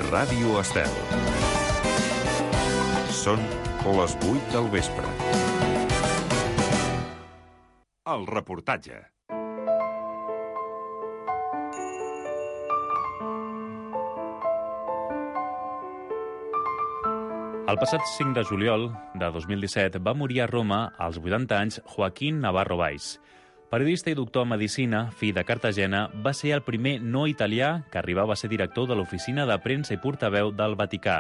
Ràdio Estel. Són les 8 del vespre. El reportatge. El passat 5 de juliol de 2017 va morir a Roma, als 80 anys, Joaquín Navarro Valls. Periodista i doctor en Medicina, fill de Cartagena, va ser el primer no italià que arribava a ser director de l'Oficina de Premsa i Portaveu del Vaticà.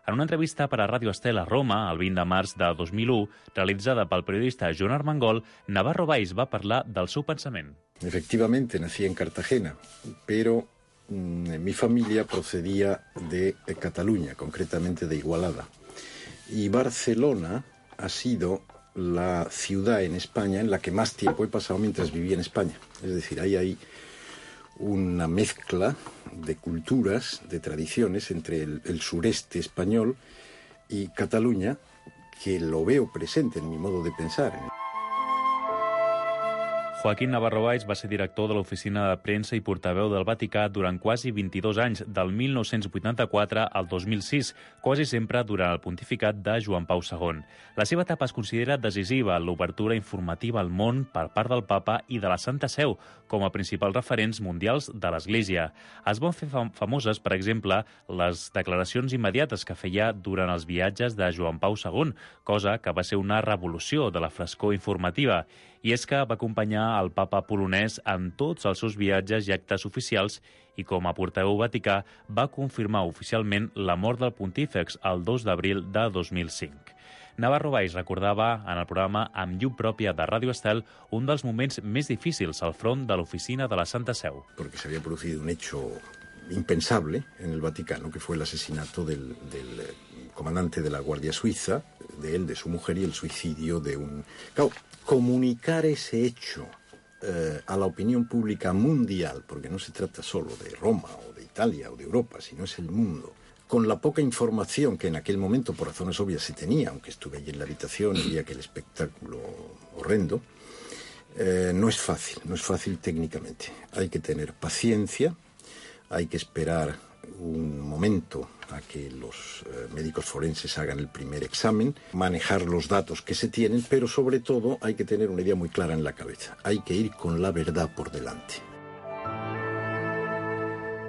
En una entrevista per a Ràdio Estel a Roma, el 20 de març de 2001, realitzada pel periodista Joan Armengol, Navarro Valls va parlar del seu pensament. Efectivamente, nací en Cartagena, pero mi familia procedía de Cataluña, concretamente de Igualada. Y Barcelona ha sido la ciudad en España en la que más tiempo he pasado mientras vivía en España. Es decir, hay ahí una mezcla de culturas, de tradiciones entre el sureste español y Cataluña, que lo veo presente en mi modo de pensar. Joaquín Navarro Valls va ser director de l'Oficina de Premsa i Portaveu del Vaticà durant quasi 22 anys, del 1984 al 2006, quasi sempre durant el pontificat de Joan Pau II. La seva etapa es considera decisiva en l'obertura informativa al món per part del Papa i de la Santa Seu, com a principals referents mundials de l'Església. Es van fer famoses, per exemple, les declaracions immediates que feia durant els viatges de Joan Pau II, cosa que va ser una revolució de la frescor informativa. I és que va acompanyar el papa polonès en tots els seus viatges i actes oficials i com a portaveu vaticà va confirmar oficialment la mort del pontífex el 2 d'abril de 2005. Navarro Valls recordava en el programa Amb llum pròpia de Ràdio Estel un dels moments més difícils al front de l'oficina de la Santa Seu. Porque se había producido un hecho impensable en el Vaticano, que fue el asesinato del comandante de la Guardia Suiza, de él, de su mujer, y el suicidio de un... Claro, comunicar ese hecho a la opinión pública mundial, porque no se trata solo de Roma o de Italia o de Europa, sino es el mundo, con la poca información que en aquel momento, por razones obvias, se tenía, aunque estuve allí en la habitación y vi aquel espectáculo horrendo, no es fácil técnicamente. Hay que tener paciencia, hay que esperar un momento a que los médicos forenses hagan el primer examen, manejar los datos que se tienen, pero sobre todo hay que tener una idea muy clara en la cabeza. Hay que ir con la verdad por delante.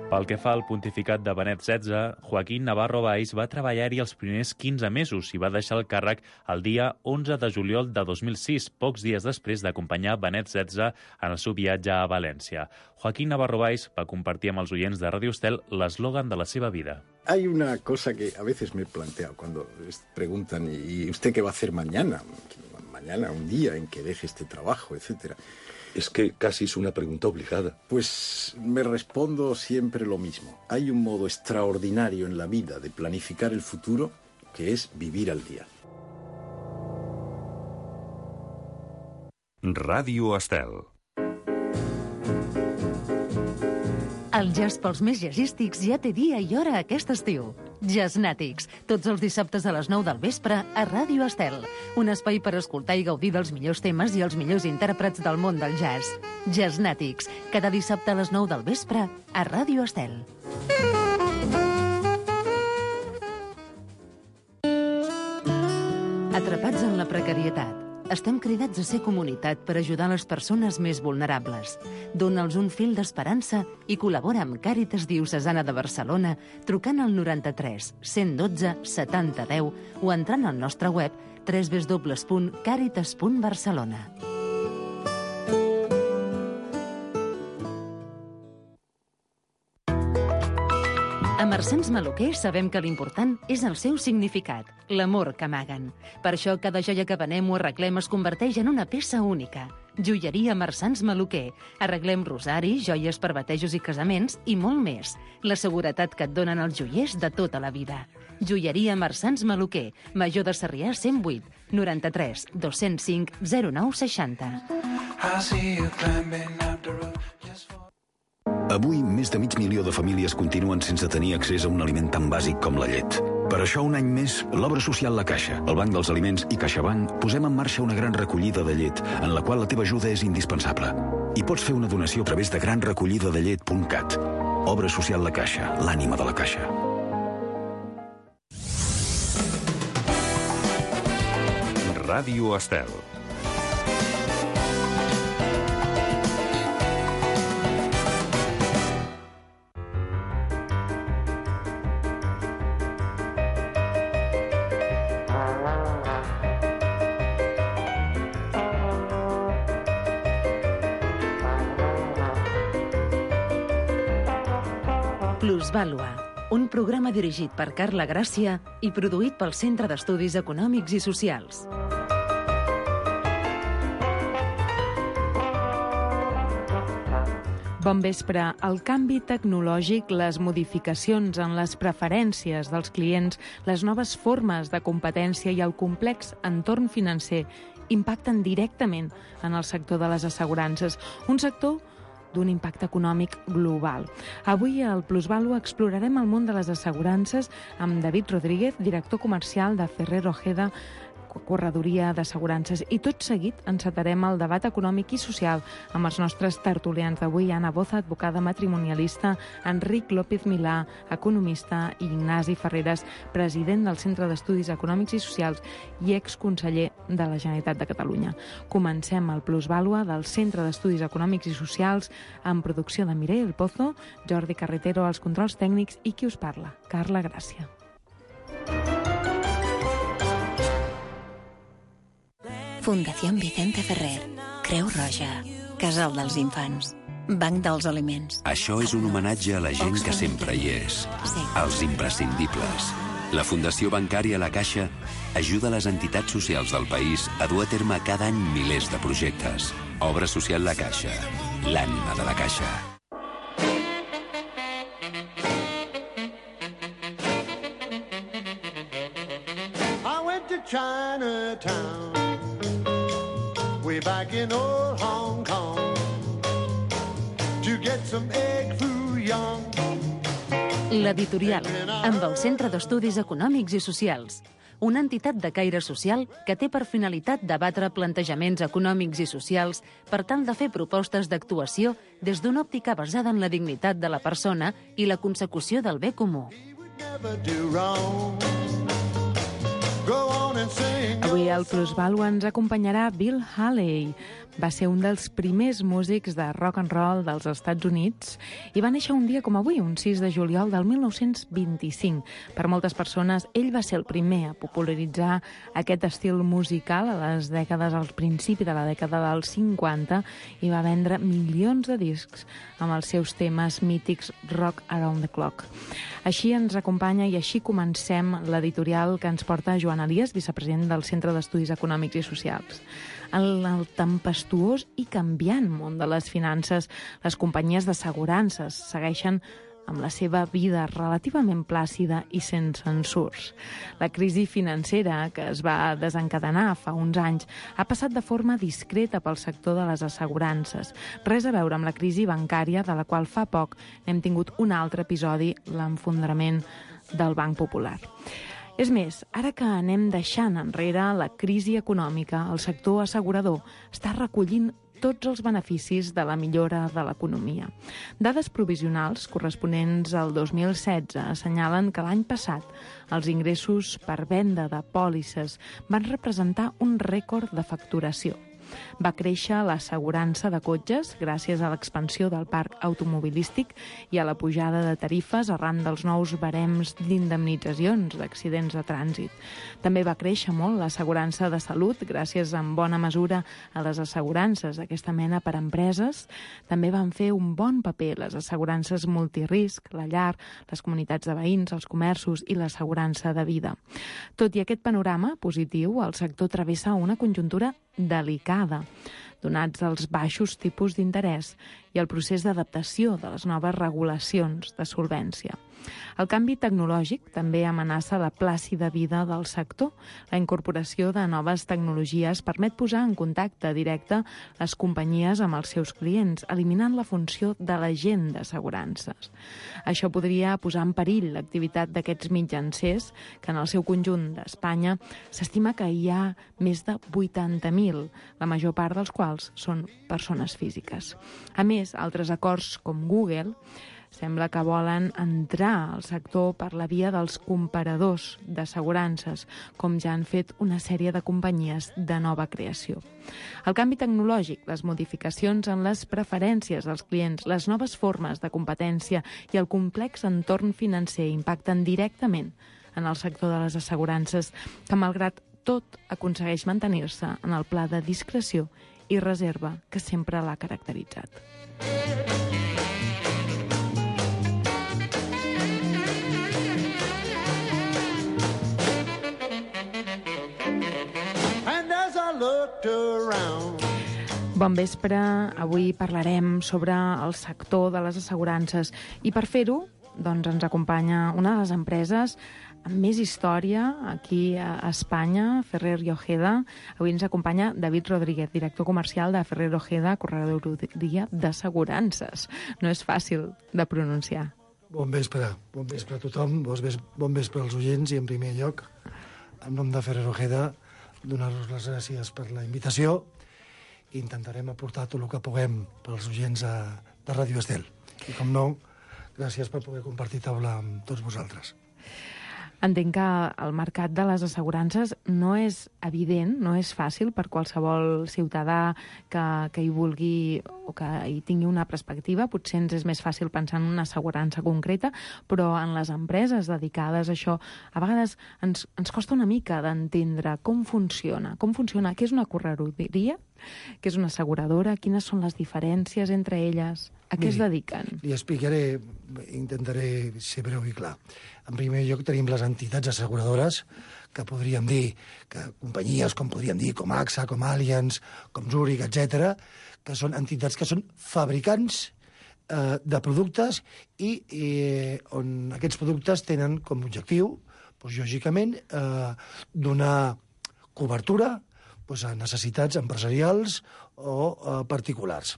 Pel que fa al pontificat de Benet XVI, Joaquín Navarro Valls va treballar-hi els primers 15 mesos i va deixar el càrrec el dia 11 de juliol de 2006, pocs dies després d'acompanyar Benet XVI en el seu viatge a València. Joaquín Navarro Valls va compartir amb els oients de Ràdio Estel l'eslògan de la seva vida. Hay una cosa que a veces me he planteado cuando preguntan ¿y usted qué va a hacer mañana? Mañana, un día en que deje este trabajo, etcétera. Es que casi es una pregunta obligada. Pues me respondo siempre lo mismo. Hay un modo extraordinario en la vida de planificar el futuro que es vivir al día. Ràdio Estel. El jazz pels més jazzístics ja té dia i hora aquest estiu. Jazznàtics, tots els dissabtes a les 9 del vespre a Ràdio Estel. Un espai per escoltar i gaudir dels millors temes i els millors intèrprets del món del jazz. Jazznàtics, cada dissabte a les 9 del vespre a Ràdio Estel. Atrapats en la precarietat. Estem cridats a ser comunitat per ajudar les persones més vulnerables. Dona'ls un fil d'esperança i col·labora amb Càritas Diocesana de Barcelona trucant al 93 112 70 10 o entrant al nostre web www.caritas.barcelona. A Marsans Maluquer sabem que l'important és el seu significat, l'amor que amaguen. Per això cada joia que venem o arreglem es converteix en una peça única. Joieria Marsans Maluquer. Arreglem rosari, joies per batejos i casaments i molt més. La seguretat que et donen els joiers de tota la vida. Joieria Marsans Maluquer. Major de Sarrià 108 93 205 09 60. Avui, més de 500.000 de famílies continuen sense tenir accés a un aliment tan bàsic com la llet. Per això, un any més, l'Obra Social La Caixa, el Banc dels Aliments i CaixaBank posem en marxa una gran recollida de llet, en la qual la teva ajuda és indispensable. I pots fer una donació a través de granrecollidadallet.cat. Obra Social La Caixa, l'ànima de la Caixa. Ràdio Estel. Plusvàlua, un programa dirigit per Carla Gràcia i produït pel Centre d'Estudis Econòmics i Socials. Bon vespre. El canvi tecnològic, les modificacions en les preferències dels clients, les noves formes de competència i el complex entorn financer impacten directament en el sector de les assegurances, un sector d'un impacte econòmic global. Avui al Plusvàlua explorarem el món de les assegurances amb David Rodríguez, director comercial de Ferrer Ojeda, corredoria d'assegurances. I tot seguit encetarem el debat econòmic i social amb els nostres tertulians d'avui, Anna Boza, advocada matrimonialista, Enric López Milà, economista, i Ignasi Ferreres, president del Centre d'Estudis Econòmics i Socials i exconseller de la Generalitat de Catalunya. Comencem el Plusvàlua del Centre d'Estudis Econòmics i Socials amb producció de Mireia El Pozo, Jordi Carretero als controls tècnics i qui us parla, Carla Gràcia. Fundació Vicente Ferrer, Creu Roja, Casal dels Infants, Banc dels Aliments. Això és un homenatge a la gent que sempre hi és, als imprescindibles. La Fundació Bancària La Caixa ajuda les entitats socials del país a dur a terme cada any milers de projectes. Obra social La Caixa, l'ànima de la Caixa. I went to Chinatown, way back in old Hong Kong, to get some egg foo young. L'editorial, amb el Centre d'Estudis Econòmics i Socials, una entitat de caire social que té per finalitat debatre plantejaments econòmics i socials per tal de fer propostes d'actuació des d'una òptica basada en la dignitat de la persona i la consecució del bé comú. Avui al Plusvàlua ens acompanyarà Bill Haley. Va ser un dels primers músics de rock and roll dels Estats Units i va néixer un dia com avui, un 6 de juliol del 1925. Per moltes persones, ell va ser el primer a popularitzar aquest estil musical al principi de la dècada dels 50 i va vendre milions de discs amb els seus temes mítics Rock Around the Clock. Així ens acompanya i així comencem l'editorial que ens porta Joan Elias, vicepresident del Centre d'Estudis Econòmics i Socials. En el tempestuós i canviant món de les finances, les companyies d'assegurances segueixen amb la seva vida relativament plàcida i sense ensurts. La crisi financera que es va desencadenar fa uns anys ha passat de forma discreta pel sector de les assegurances. Res a veure amb la crisi bancària, de la qual fa poc n'hem tingut un altre episodi, l'enfondrament del Banc Popular. És més, ara que anem deixant enrere la crisi econòmica, el sector assegurador està recollint tots els beneficis de la millora de l'economia. Dades provisionals corresponents al 2016 assenyalen que l'any passat els ingressos per venda de pòlisses van representar un rècord de facturació. Va créixer l'assegurança de cotxes gràcies a l'expansió del parc automobilístic i a la pujada de tarifes arran dels nous barems d'indemnitzacions d'accidents de trànsit. També va créixer molt l'assegurança de salut gràcies en bona mesura a les assegurances d'aquesta mena per a empreses. També van fer un bon paper les assegurances multirisc, la llar, les comunitats de veïns, els comerços i l'assegurança de vida. Tot i aquest panorama positiu, el sector travessa una conjuntura delicada, donats els baixos tipus d'interès i el procés d'adaptació de les noves regulacions de solvència. El canvi tecnològic també amenaça la plàcida vida del sector. La incorporació de noves tecnologies permet posar en contacte directe les companyies amb els seus clients, eliminant la funció de l'agent d'assegurances. Això podria posar en perill l'activitat d'aquests mitjancers, que en el seu conjunt d'Espanya s'estima que hi ha més de 80.000, la major part dels quals són persones físiques. A més, altres acords com Google sembla que volen entrar al sector per la via dels comparadors d'assegurances, com ja han fet una sèrie de companyies de nova creació. El canvi tecnològic, les modificacions en les preferències dels clients, les noves formes de competència i el complex entorn financer impacten directament en el sector de les assegurances, que malgrat tot aconsegueix mantenir-se en el pla de discreció i reserva que sempre l'ha caracteritzat. Bon vespre, avui parlarem sobre el sector de les assegurances i per fer-ho doncs, ens acompanya una de les empreses amb més història aquí a Espanya, Ferrer i Ojeda. Avui ens acompanya David Rodríguez, director comercial de Ferrer i Ojeda, corredoria d'assegurances. No és fàcil de pronunciar. Bon vespre a tothom, bon vespre als oients i en primer lloc, en nom de Ferrer i Ojeda, donar-vos les gràcies per la invitació i intentarem aportar tot el que puguem pels oients de Ràdio Estel. I com no, gràcies per poder compartir taula amb tots vosaltres. Entenc que el mercat de les assegurances no és evident, no és fàcil per qualsevol ciutadà que hi vulgui o que hi tingui una perspectiva. Potser ens és més fàcil pensar en una assegurança concreta, però en les empreses dedicades a això, a vegades ens costa una mica d'entendre com funciona, què és una corredoria, què és una asseguradora, quines són les diferències entre elles, a què es dediquen? Li explicaré, intentaré ser breu i clar. En primer lloc tenim les entitats asseguradores, que podríem dir, que companyies com podríem dir, com AXA, com Allianz, com Zurich, etc., que són entitats que són fabricants de productes i on aquests productes tenen com a objectiu, doncs, lògicament, donar cobertura a necessitats empresarials o particulars.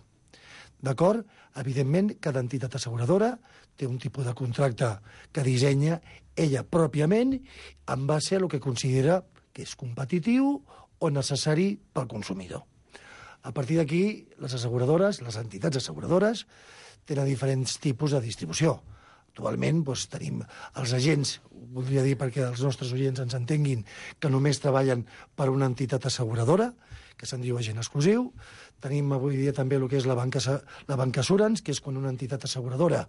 D'acord? Evidentment, cada entitat asseguradora té un tipus de contracte que dissenya ella pròpiament en base a el que considera que és competitiu o necessari pel consumidor. A partir d'aquí, les asseguradores, les entitats asseguradores, tenen diferents tipus de distribució. Actualment tenim els agents, voldria dir perquè els nostres oients ens entenguin, que només treballen per una entitat asseguradora, que se'n diu agent exclusiu. Tenim avui dia també el que és la bancassurance, que és quan una entitat asseguradora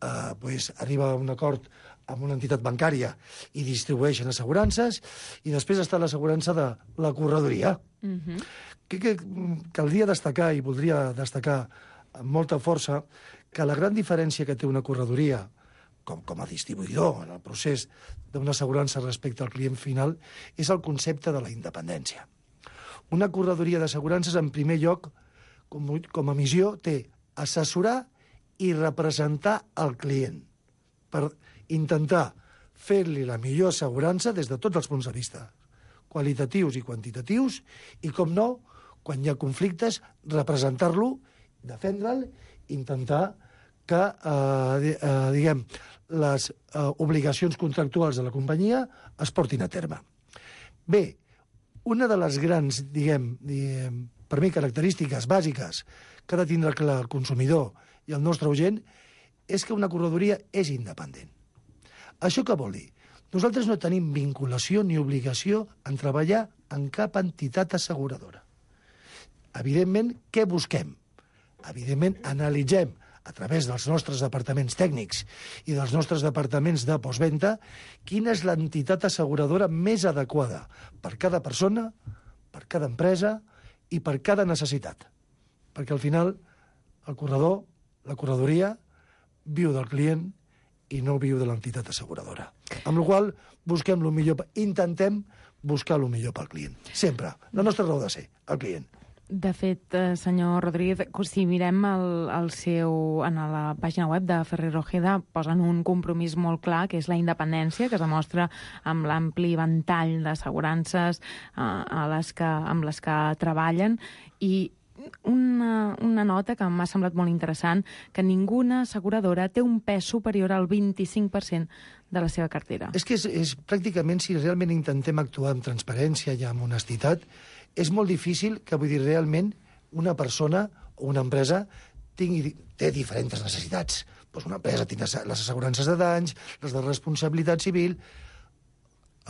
arriba a un acord amb una entitat bancària i distribueixen assegurances, i després està l'assegurança de la corredoria. Caldria destacar, i voldria destacar amb molta força, que la gran diferència que té una corredoria com a distribuïdor en el procés d'una assegurança respecte al client final és el concepte de la independència. Una corredoria d'assegurances, en primer lloc, com a missió, té assessorar i representar el client per intentar fer-li la millor assegurança des de tots els punts de vista, qualitatius i quantitatius, i, com no, quan hi ha conflictes, representar-lo, defendre'l, intentar que, les obligacions contractuals de la companyia es portin a terme. Bé, una de les grans, per mi, característiques bàsiques que ha de tindre clar el consumidor i el nostre oient és que una corredoria és independent. Això què vol dir? Nosaltres no tenim vinculació ni obligació en treballar en cap entitat asseguradora. Evidentment, què busquem? Evidentment, analitzem a través dels nostres departaments tècnics i dels nostres departaments de postventa quina és l'entitat asseguradora més adequada per cada persona, per cada empresa i per cada necessitat. Perquè al final el corredor, la corredoria, viu del client i no viu de l'entitat asseguradora. Amb la qual busquem el millor, intentem buscar el millor pel client. Sempre. La nostra raó de ser, el client. De fet, senyor Rodríguez, si mirem en la pàgina web de Ferrer Ojeda, posen un compromís molt clar, que és la independència, que es demostra amb l'ampli ventall d'assegurances amb les que treballen, i una nota que m'ha semblat molt interessant, que ninguna asseguradora té un pes superior al 25% de la seva cartera. És que és pràcticament, si realment intentem actuar amb transparència i amb honestitat, és molt difícil que, realment una persona o una empresa té diferents necessitats. Doncs una empresa té les assegurances de danys, les de responsabilitat civil.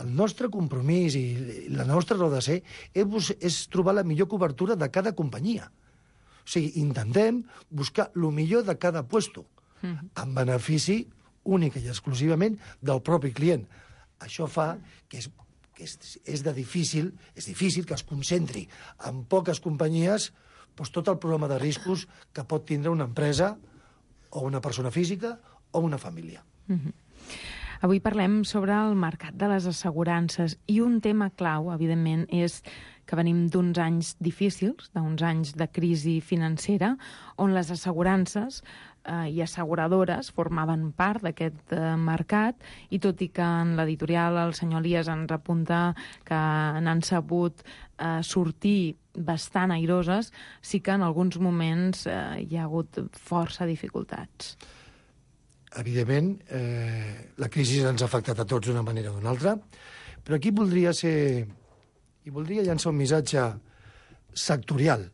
El nostre compromís i la nostra raó de ser és trobar la millor cobertura de cada companyia. O sigui, intentem buscar el millor de cada puesto, en benefici únic i exclusivament del propi client. Això fa que és difícil que es concentri en poques companyies tot el programa de riscos que pot tindre una empresa o una persona física o una família. Avui parlem sobre el mercat de les assegurances i un tema clau, evidentment, és que venim d'uns anys difícils, d'uns anys de crisi financera, on les assegurances i asseguradores formaven part d'aquest mercat, i tot i que en l'editorial el senyor Elias ens apunta que n'han sabut sortir bastant airoses, sí que en alguns moments hi ha hagut força dificultats. Evidentment, la crisi ens ha afectat a tots d'una manera o d'una altra, però aquí voldria llançar un missatge sectorial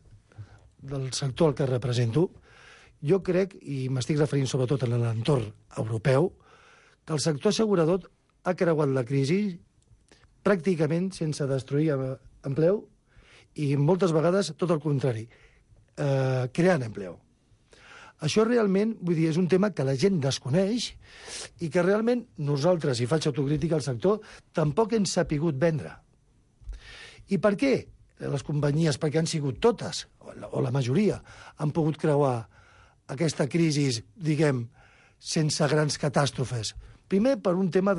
del sector al que represento. Jo crec, i m'estic referint sobretot a l'entorn europeu, que el sector assegurador ha creuat la crisi pràcticament sense destruir empleu i moltes vegades tot el contrari, creant empleu. Això realment, vull dir, és un tema que la gent desconeix i que realment nosaltres, i faig autocrítica al sector, tampoc hem sapigut vendre. I per què? Les companyies, perquè han sigut totes, o la majoria, han pogut creuar aquesta crisi, diguem, sense grans catàstrofes. Primer, per un tema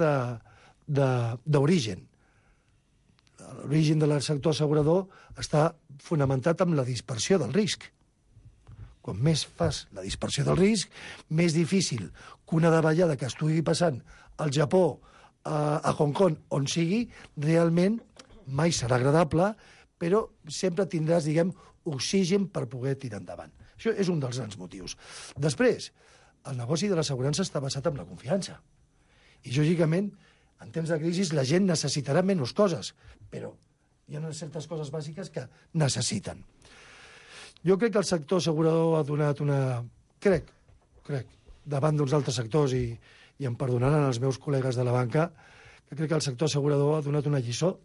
d'origen. L'origen del sector assegurador està fonamentat en la dispersió del risc. Quan més fas la dispersió del risc, més difícil que una davallada que estigui passant al Japó, a Hong Kong, on sigui, realment mai serà agradable, però sempre tindràs, diguem, oxigen per poder tirar endavant. Això és un dels grans motius. Després, el negoci de l'assegurança està basat en la confiança. I, lògicament, en temps de crisi la gent necessitarà menys coses, però hi ha certes coses bàsiques que necessiten. Jo crec que el sector assegurador ha donat una... Crec, davant d'uns altres sectors, i em perdonaran els meus col·legues de la banca, que crec que el sector assegurador ha donat una lliçó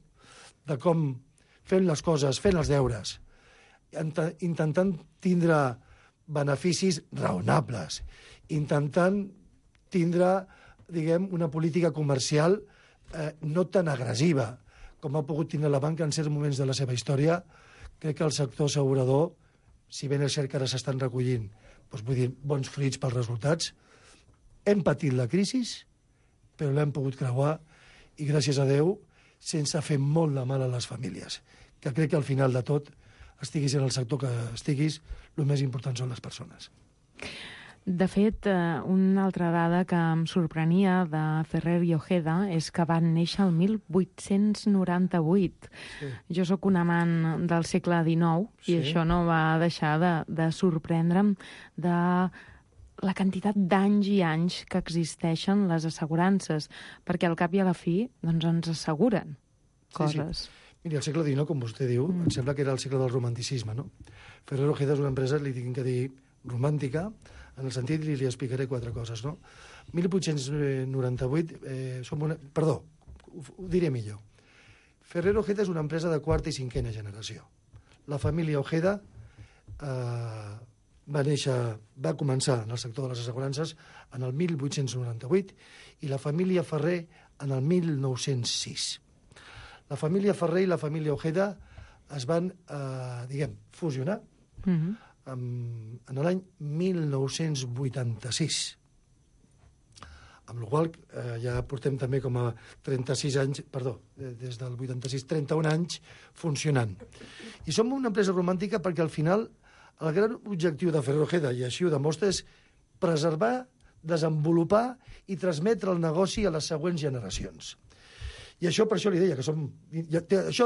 de com fent les coses, fent els deures, intentant tindre beneficis raonables, intentant tindre, diguem, una política comercial no tan agressiva com ha pogut tindre la banca en certs moments de la seva història. Crec que el sector assegurador, si ben és cert que ara s'estan recollint bons fruits pels resultats, hem patit la crisi, però l'hem pogut creuar, i gràcies a Déu, sense fer molt de mal a les famílies. Que crec que al final de tot, estiguis en el sector que estiguis, el més important són les persones. De fet, una altra dada que em sorprenia de Ferrer i Ojeda és que van néixer el 1898. Sí. Jo sóc un amant del segle XIX i això no va deixar de sorprendre'm de la quantitat d'anys i anys que existeixen les assegurances, perquè al cap i a la fi ens asseguren coses. Sí. Miri, el segle XIX, com vostè diu, em sembla que era el segle del romanticisme, no? Ferrer Ojeda és una empresa, li tinc que dir, romàntica, en el sentit, li explicaré 4 coses, no? 1898, ho diré millor. Ferrer Ojeda és una empresa de 4ª i 5ª generació. La família Ojeda va començar en el sector de les assegurances en el 1898 i la família Ferrer en el 1906. La família Ferrer i la família Ojeda es van, fusionar en l'any 1986. Amb la qual ja portem també com a 36 anys, des del 86, 31 anys funcionant. I som una empresa romàntica perquè al final el gran objectiu de Ferrer Ojeda, i així ho demostra, és preservar, desenvolupar i transmetre el negoci a les següents generacions. I això, per això li deia, que això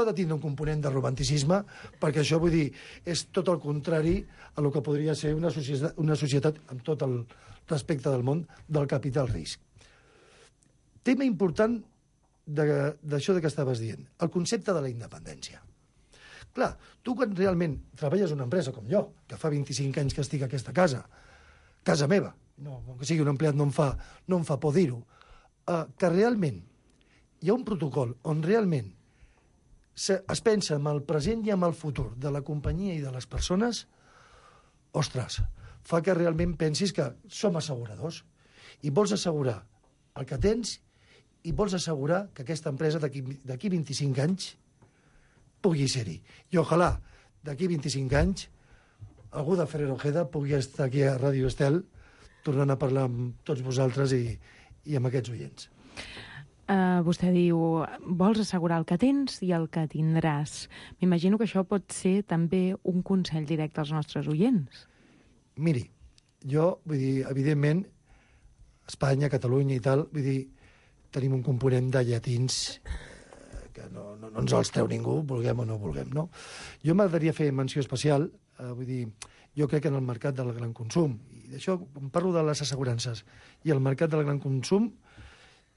ha de tindre un component de romanticisme, perquè això, vull dir, és tot el contrari a el que podria ser una societat, amb tot el respecte del món, del capital risc. Tema important d'això que estaves dient, el concepte de la independència. Clar, tu quan realment treballes en una empresa com jo, que fa 25 anys que estic a aquesta casa meva, no, que sigui un empleat no em fa por dir-ho, que realment hi ha un protocol on realment es pensa en el present i en el futur de la companyia i de les persones, ostres, fa que realment pensis que som asseguradors i vols assegurar el que tens i vols assegurar que aquesta empresa d'aquí 25 anys pugui ser-hi. I ojalà d'aquí 25 anys algú de Ferrer Ojeda pugui estar aquí a Ràdio Estel tornant a parlar amb tots vosaltres i amb aquests oients. Vostè diu, vols assegurar el que tens i el que tindràs. M'imagino que això pot ser també un consell directe als nostres oients. Miri, jo, vull dir, evidentment, Espanya, Catalunya i tal, vull dir, tenim un component de llatins que no ens els treu ningú, vulguem o no vulguem, no? Jo m'agradaria fer menció especial, vull dir, jo crec que en el mercat del gran consum, i d'això, quan parlo de les assegurances i el mercat del gran consum,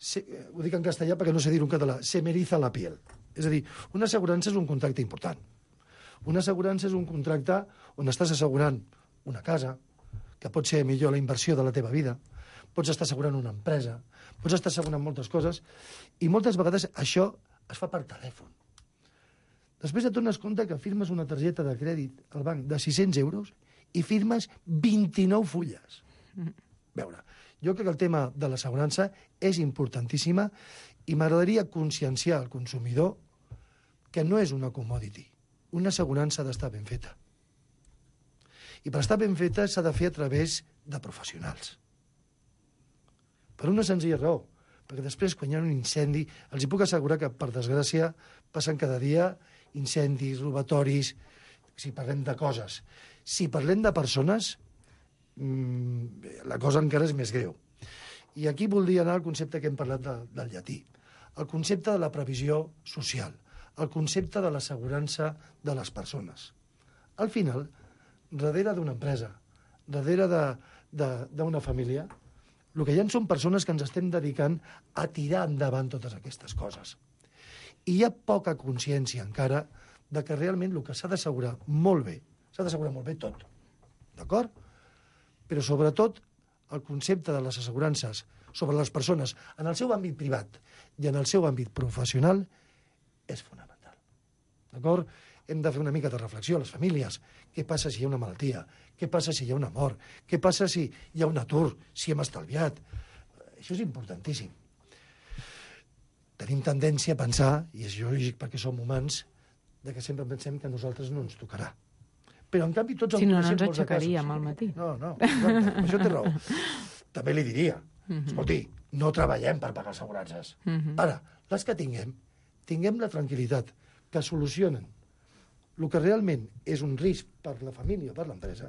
ho dic en castellà perquè no sé dir-ho en català, se me eriza la piel. És a dir, una assegurança és un contracte important. Una assegurança és un contracte on estàs assegurant una casa, que pot ser millor la inversió de la teva vida, pots estar assegurant una empresa, pots estar assegurant moltes coses, i moltes vegades això es fa per telèfon. Després et dones compte que firmes una targeta de crèdit al banc de 600 euros i firmes 29 fulles. Veure, jo crec que el tema de l'assegurança és importantíssima i m'agradaria conscienciar al consumidor que no és una commodity. Una assegurança ha d'estar ben feta. I per estar ben feta s'ha de fer a través de professionals. Per una senzilla raó, perquè després, quan hi ha un incendi, els hi puc assegurar que, per desgràcia, passen cada dia incendis, robatoris, si parlem de coses. Si parlem de persones, la cosa encara és més greu. I aquí voldria anar al concepte que hem parlat del llatí, el concepte de la previsió social, el concepte de l'assegurança de les persones. Al final, darrere d'una empresa, darrere d'una família, el que hi ha són persones que ens estem dedicant a tirar endavant totes aquestes coses. I hi ha poca consciència encara de que realment el que s'ha d'assegurar molt bé, s'ha d'assegurar molt bé tot, d'acord? Però sobretot el concepte de les assegurances sobre les persones en el seu àmbit privat i en el seu àmbit professional és fonamental. D'acord? Hem de fer una mica de reflexió a les famílies. Què passa si hi ha una malaltia? Què passa si hi ha una mort? Què passa si hi ha un atur? Si hem estalviat? Això és importantíssim. Tenim tendència a pensar, i és lògic perquè som humans, que sempre pensem que a nosaltres no ens tocarà. Però, en canvi, tots... Si no, no ens aixecaríem al matí. No, exacte, això té raó. També li diria, escolti, no treballem per pagar assegurances. Ara, les que tinguem la tranquil·litat que solucionen el que realment és un risc per la família o per l'empresa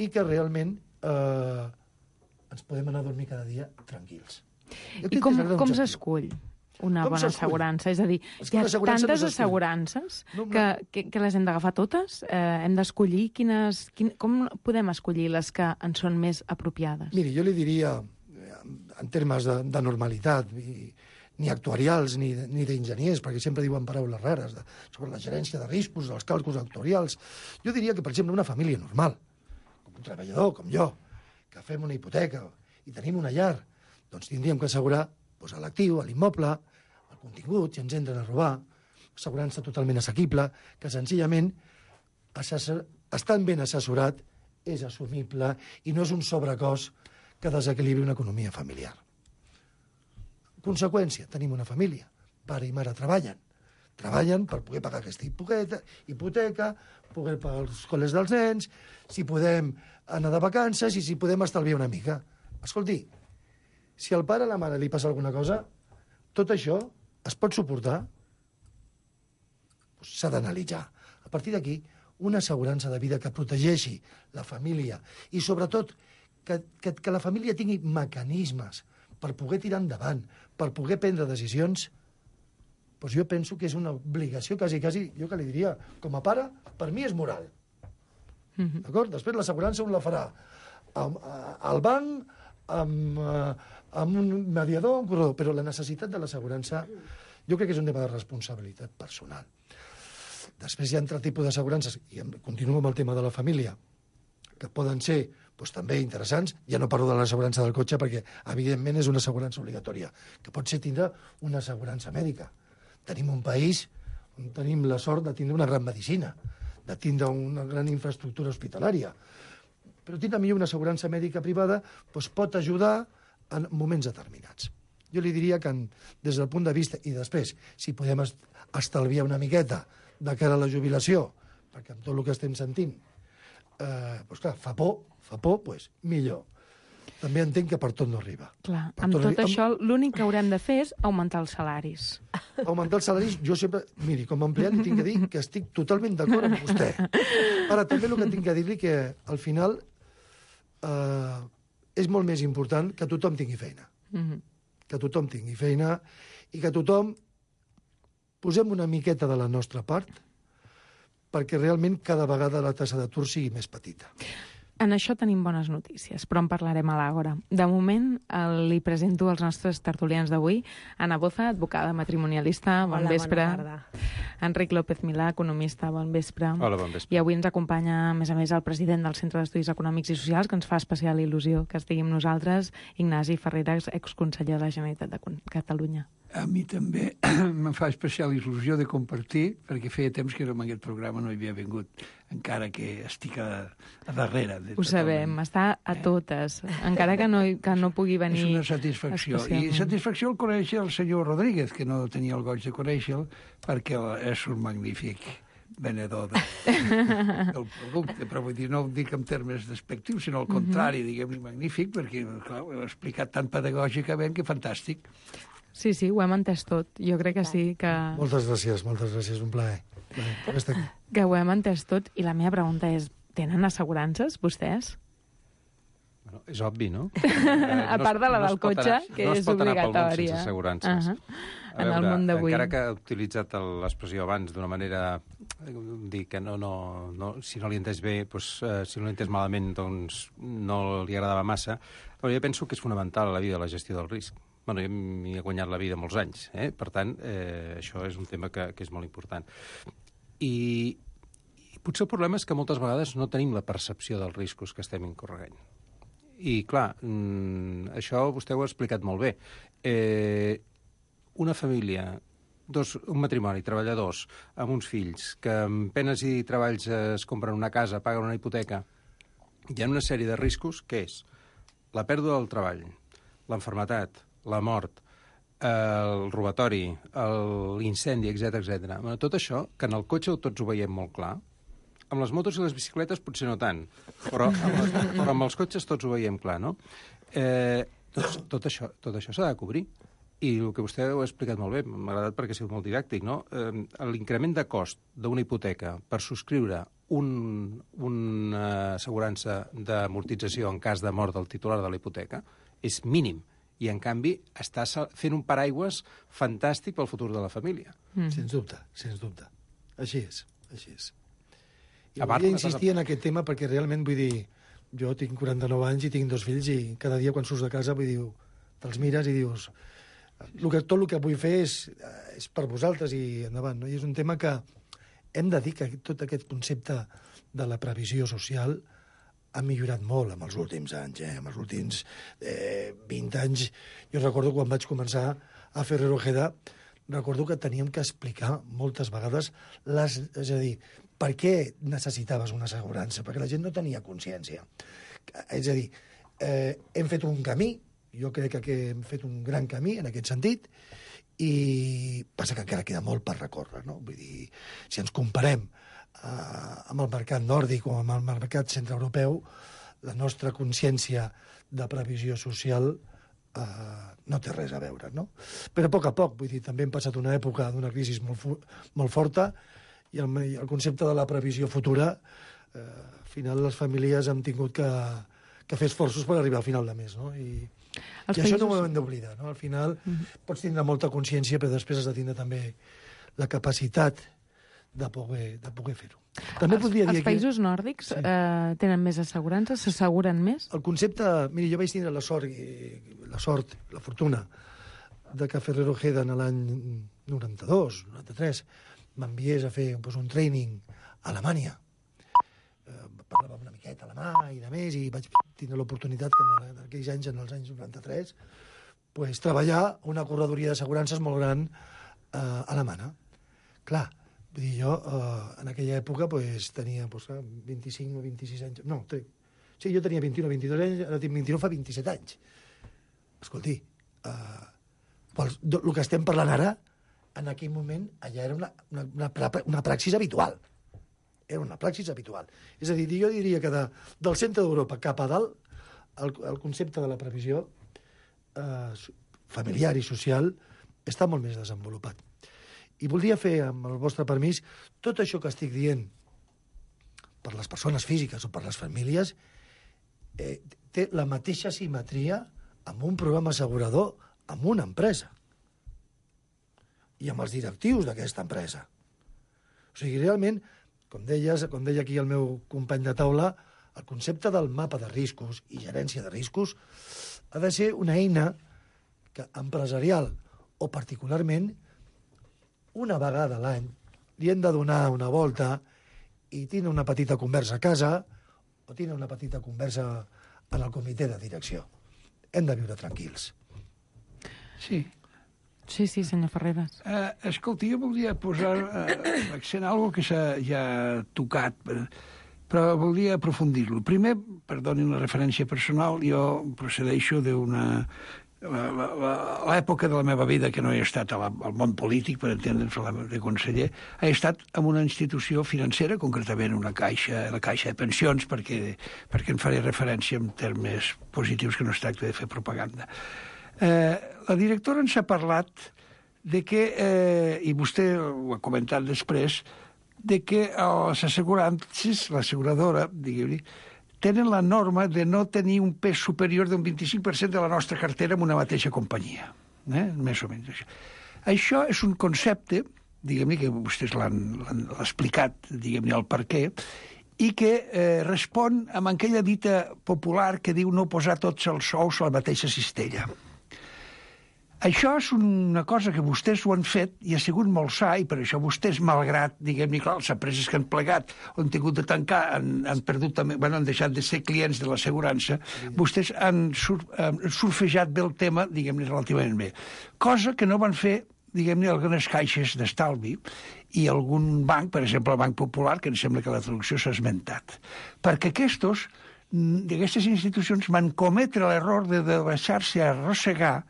i que realment ens podem anar a dormir cada dia tranquils. I com s'escull una bona assegurança? És a dir, hi ha tantes assegurances que les hem d'agafar totes? Hem d'escollir com podem escollir les que ens són més apropiades? Miri, jo li diria, en termes de normalitat, ni actuarials ni d'enginyers, perquè sempre diuen paraules rares sobre la gerència de riscos, els càlculs actuarials. Jo diria que, per exemple, una família normal, com un treballador, com jo, que fem una hipoteca i tenim una llar, doncs tindríem que assegurar l'actiu, l'immoble, el contingut, si ens entren a robar, assegurança totalment assequible, que senzillament, estant ben assessorat, és assumible i no és un sobrecost que desequilibri una economia familiar. Conseqüència, tenim una família. Pare i mare treballen per poder pagar aquesta hipoteca, poder pagar els col·les dels nens, si podem anar de vacances i si podem estalviar una mica. Escolti, si al pare o a la mare li passa alguna cosa, tot això es pot suportar? S'ha d'analitzar. A partir d'aquí, una assegurança de vida que protegeixi la família i, sobretot, que la família tingui mecanismes per poder tirar endavant, per poder prendre decisions, doncs jo penso que és una obligació quasi, jo que li diria, com a pare, per mi és moral. D'acord? Després l'assegurança un la farà al banc, amb un mediador, però la necessitat de l'assegurança jo crec que és un tema de responsabilitat personal. Després hi ha altres tipus d'assegurances, i continuo amb el tema de la família, que poden ser també interessants. Ja no parlo de l'assegurança del cotxe perquè, evidentment, és una assegurança obligatòria, que pot ser tindre una assegurança mèdica. Tenim un país on tenim la sort de tindre una gran medicina, de tindre una gran infraestructura hospitalària. Però tindre millor una assegurança mèdica privada pot ajudar en moments determinats. Jo li diria que des del punt de vista, i després, si podem estalviar una miqueta de cara a la jubilació, perquè amb tot el que estem sentint, clar, fa por, millor. També entenc que per tot no arriba. Clar, amb tot això, l'únic que haurem de fer és augmentar els salaris. Augmentar els salaris, jo sempre... Miri, com a empleat li tinc que dir que estic totalment d'acord amb vostè. Ara, també el que tinc que dir-li que, al final, és molt més important que tothom tingui feina. Que tothom tingui feina i que tothom posem una miqueta de la nostra part perquè realment cada vegada la tassa d'atur sigui més petita. En això tenim bones notícies, però en parlarem a l'Àgora. De moment, li presento als nostres tertulians d'avui. Ana Boza, advocada matrimonialista, bon vespre. Bona tarda. Enric López Milà, economista, bon vespre. Hola, bon vespre. I avui ens acompanya, a més, el president del Centre d'Estudis Econòmics i Socials, que ens fa especial il·lusió que estigui amb nosaltres, Ignasi Ferreras, exconseller de la Generalitat de Catalunya. A mi també em fa especial il·lusió de compartir, perquè feia temps que en aquest programa no hi havia vingut, encara que estic a darrere. Ho sabem, està a totes, encara que no pugui venir. És una satisfacció. I satisfacció el conèixer el senyor Rodríguez, que no tenia el goig de conèixer-lo, perquè és un magnífic venedor del producte, però vull dir, no ho dic en termes despectius, sinó al contrari, diguem-ne magnífic, perquè, clar, ho he explicat tan pedagògicament que fantàstic. Sí, ho hem entès tot. Jo crec que sí, que... Moltes gràcies, un plaer. Que ho hem entès tot, i la meva pregunta és, tenen assegurances, vostès? Bueno, és obvi, no? A part de la del cotxe, que és obligatòria. No es pot anar pel món sense assegurances. En el món d'avui. Encara que he utilitzat l'expressió abans d'una manera, dir que si no li he entès bé, si no li he entès malament, doncs no li agradava massa, però jo penso que és fonamental a la vida la gestió del risc. Bueno, jo m'hi he guanyat la vida molts anys, per tant, això és un tema que és molt important. I potser el problema és que moltes vegades no tenim la percepció dels riscos que estem incorregant. I, clar, això vostè ho ha explicat molt bé. Una família, un matrimoni, treballadors, amb uns fills, que amb penes i treballs es compren una casa, paguen una hipoteca, hi ha una sèrie de riscos, que és la pèrdua del treball, l'enfermetat, la mort, el robatori, l'incendi, etc. Tot això, que en el cotxe tots ho veiem molt clar, amb les motos i les bicicletes potser no tant, però amb els cotxes tots ho veiem clar, no? Doncs tot això s'ha de cobrir. I el que vostè ho ha explicat molt bé, m'ha agradat perquè ha sigut molt didàctic, no? L'increment de cost d'una hipoteca per subscriure una assegurança d'amortització en cas de mort del titular de la hipoteca és mínim. I, en canvi, està fent un paraigües fantàstic pel futur de la família. Sens dubte. Així és. I volia insistir en aquest tema perquè realment, vull dir, jo tinc 49 anys i tinc 2 fills i cada dia quan surts de casa, vull dir, te'ls mires i dius, tot el que vull fer és per vosaltres i endavant, no? I és un tema que hem de dir que tot aquest concepte de la previsió social ha millorat molt en els últims anys, en els últims 20 anys. Jo recordo quan vaig començar a Ferrer Ojeda, recordo que teníem que explicar moltes vegades és a dir, per què necessitaves una assegurança? Perquè la gent no tenia consciència. És a dir, hem fet un camí, jo crec que hem fet un gran camí en aquest sentit, i passa que encara queda molt per recórrer, no? Vull dir, si ens comparem amb el mercat nòrdic o amb el mercat centreeuropeu, la nostra consciència de previsió social no té res a veure, no? Però a poc, vull dir, també hem passat una època d'una crisi molt forta i el concepte de la previsió futura, al final les famílies han tingut que fer esforços per arribar al final de mes, no? I això no ho hem d'oblidar, no? Al final pots tindre molta consciència, però després has de tindre també la capacitat de poder fer-ho. Els països nòrdics tenen més assegurances? S'asseguren més? El concepte... Miri, jo vaig tindre la sort, la fortuna, de que Ferrer Ojeda en l'any 92, 93, m'enviés a fer un training a Alemanya. Parlava una miqueta alemà i de més, i vaig tindre l'oportunitat que en aquells anys, en els anys 93, treballar a una corredoria d'assegurances molt gran alemana. Clar, vull dir, jo en aquella època tenia 25 o 26 anys. No, sí, jo tenia 21 o 22 anys, ara tinc 29, fa 27 anys. Escolti, el que estem parlant ara, en aquell moment, allà era una praxis habitual. Era una praxis habitual. És a dir, jo diria que del centre d'Europa cap a dalt, el concepte de la previsió familiar i social està molt més desenvolupat. I voldria fer, amb el vostre permís, tot això que estic dient per les persones físiques o per les famílies té la mateixa simetria amb un programa assegurador, amb una empresa i amb els directius d'aquesta empresa. O sigui, realment, com deia aquí el meu company de taula, el concepte del mapa de riscos i gerència de riscos ha de ser una eina que empresarial o particularment una vegada a l'any li hem de donar una volta i tindre una petita conversa a casa o tindre una petita conversa en el comitè de direcció. Hem de viure tranquils. Sí. Sí, senyor Ferreras. Escolti, jo voldria posar l'accent a algo que s'ha ja tocat, però voldria aprofundir-lo. Primer, perdonin la referència personal, jo procedeixo d'una... L'època de la meva vida, que no he estat al món polític, per entendre'ns de conseller, he estat en una institució financera, concretament la Caixa de Pensions, perquè en faré referència en termes positius, que no es tracta de fer propaganda. La directora ens ha parlat de que, i vostè ho ha comentat després, de que les assegurances, l'asseguradora, diguem-ne, tenen la norma de no tenir un pes superior d'un 25% de la nostra cartera en una mateixa companyia. Més o menys. Això és un concepte, diguem-ne, que vostès l'han explicat, diguem-ne, el per què, i que respon amb aquella dita popular que diu no posar tots els ous a la mateixa cistella. Això és una cosa que vostès ho han fet i ha sigut molt sa, i per això vostès, malgrat, diguem-ne, clar, les empreses que han plegat o han tingut de tancar, han perdut també, han deixat de ser clients de l'assegurança, vostès han surfejat bé el tema, diguem-ne, relativament bé. Cosa que no van fer, diguem-ne, algunes caixes d'estalvi i algun banc, per exemple el Banc Popular, que em sembla que la traducció s'ha esmentat. Perquè d'aquestes institucions van cometre l'error de deixar-se arrossegar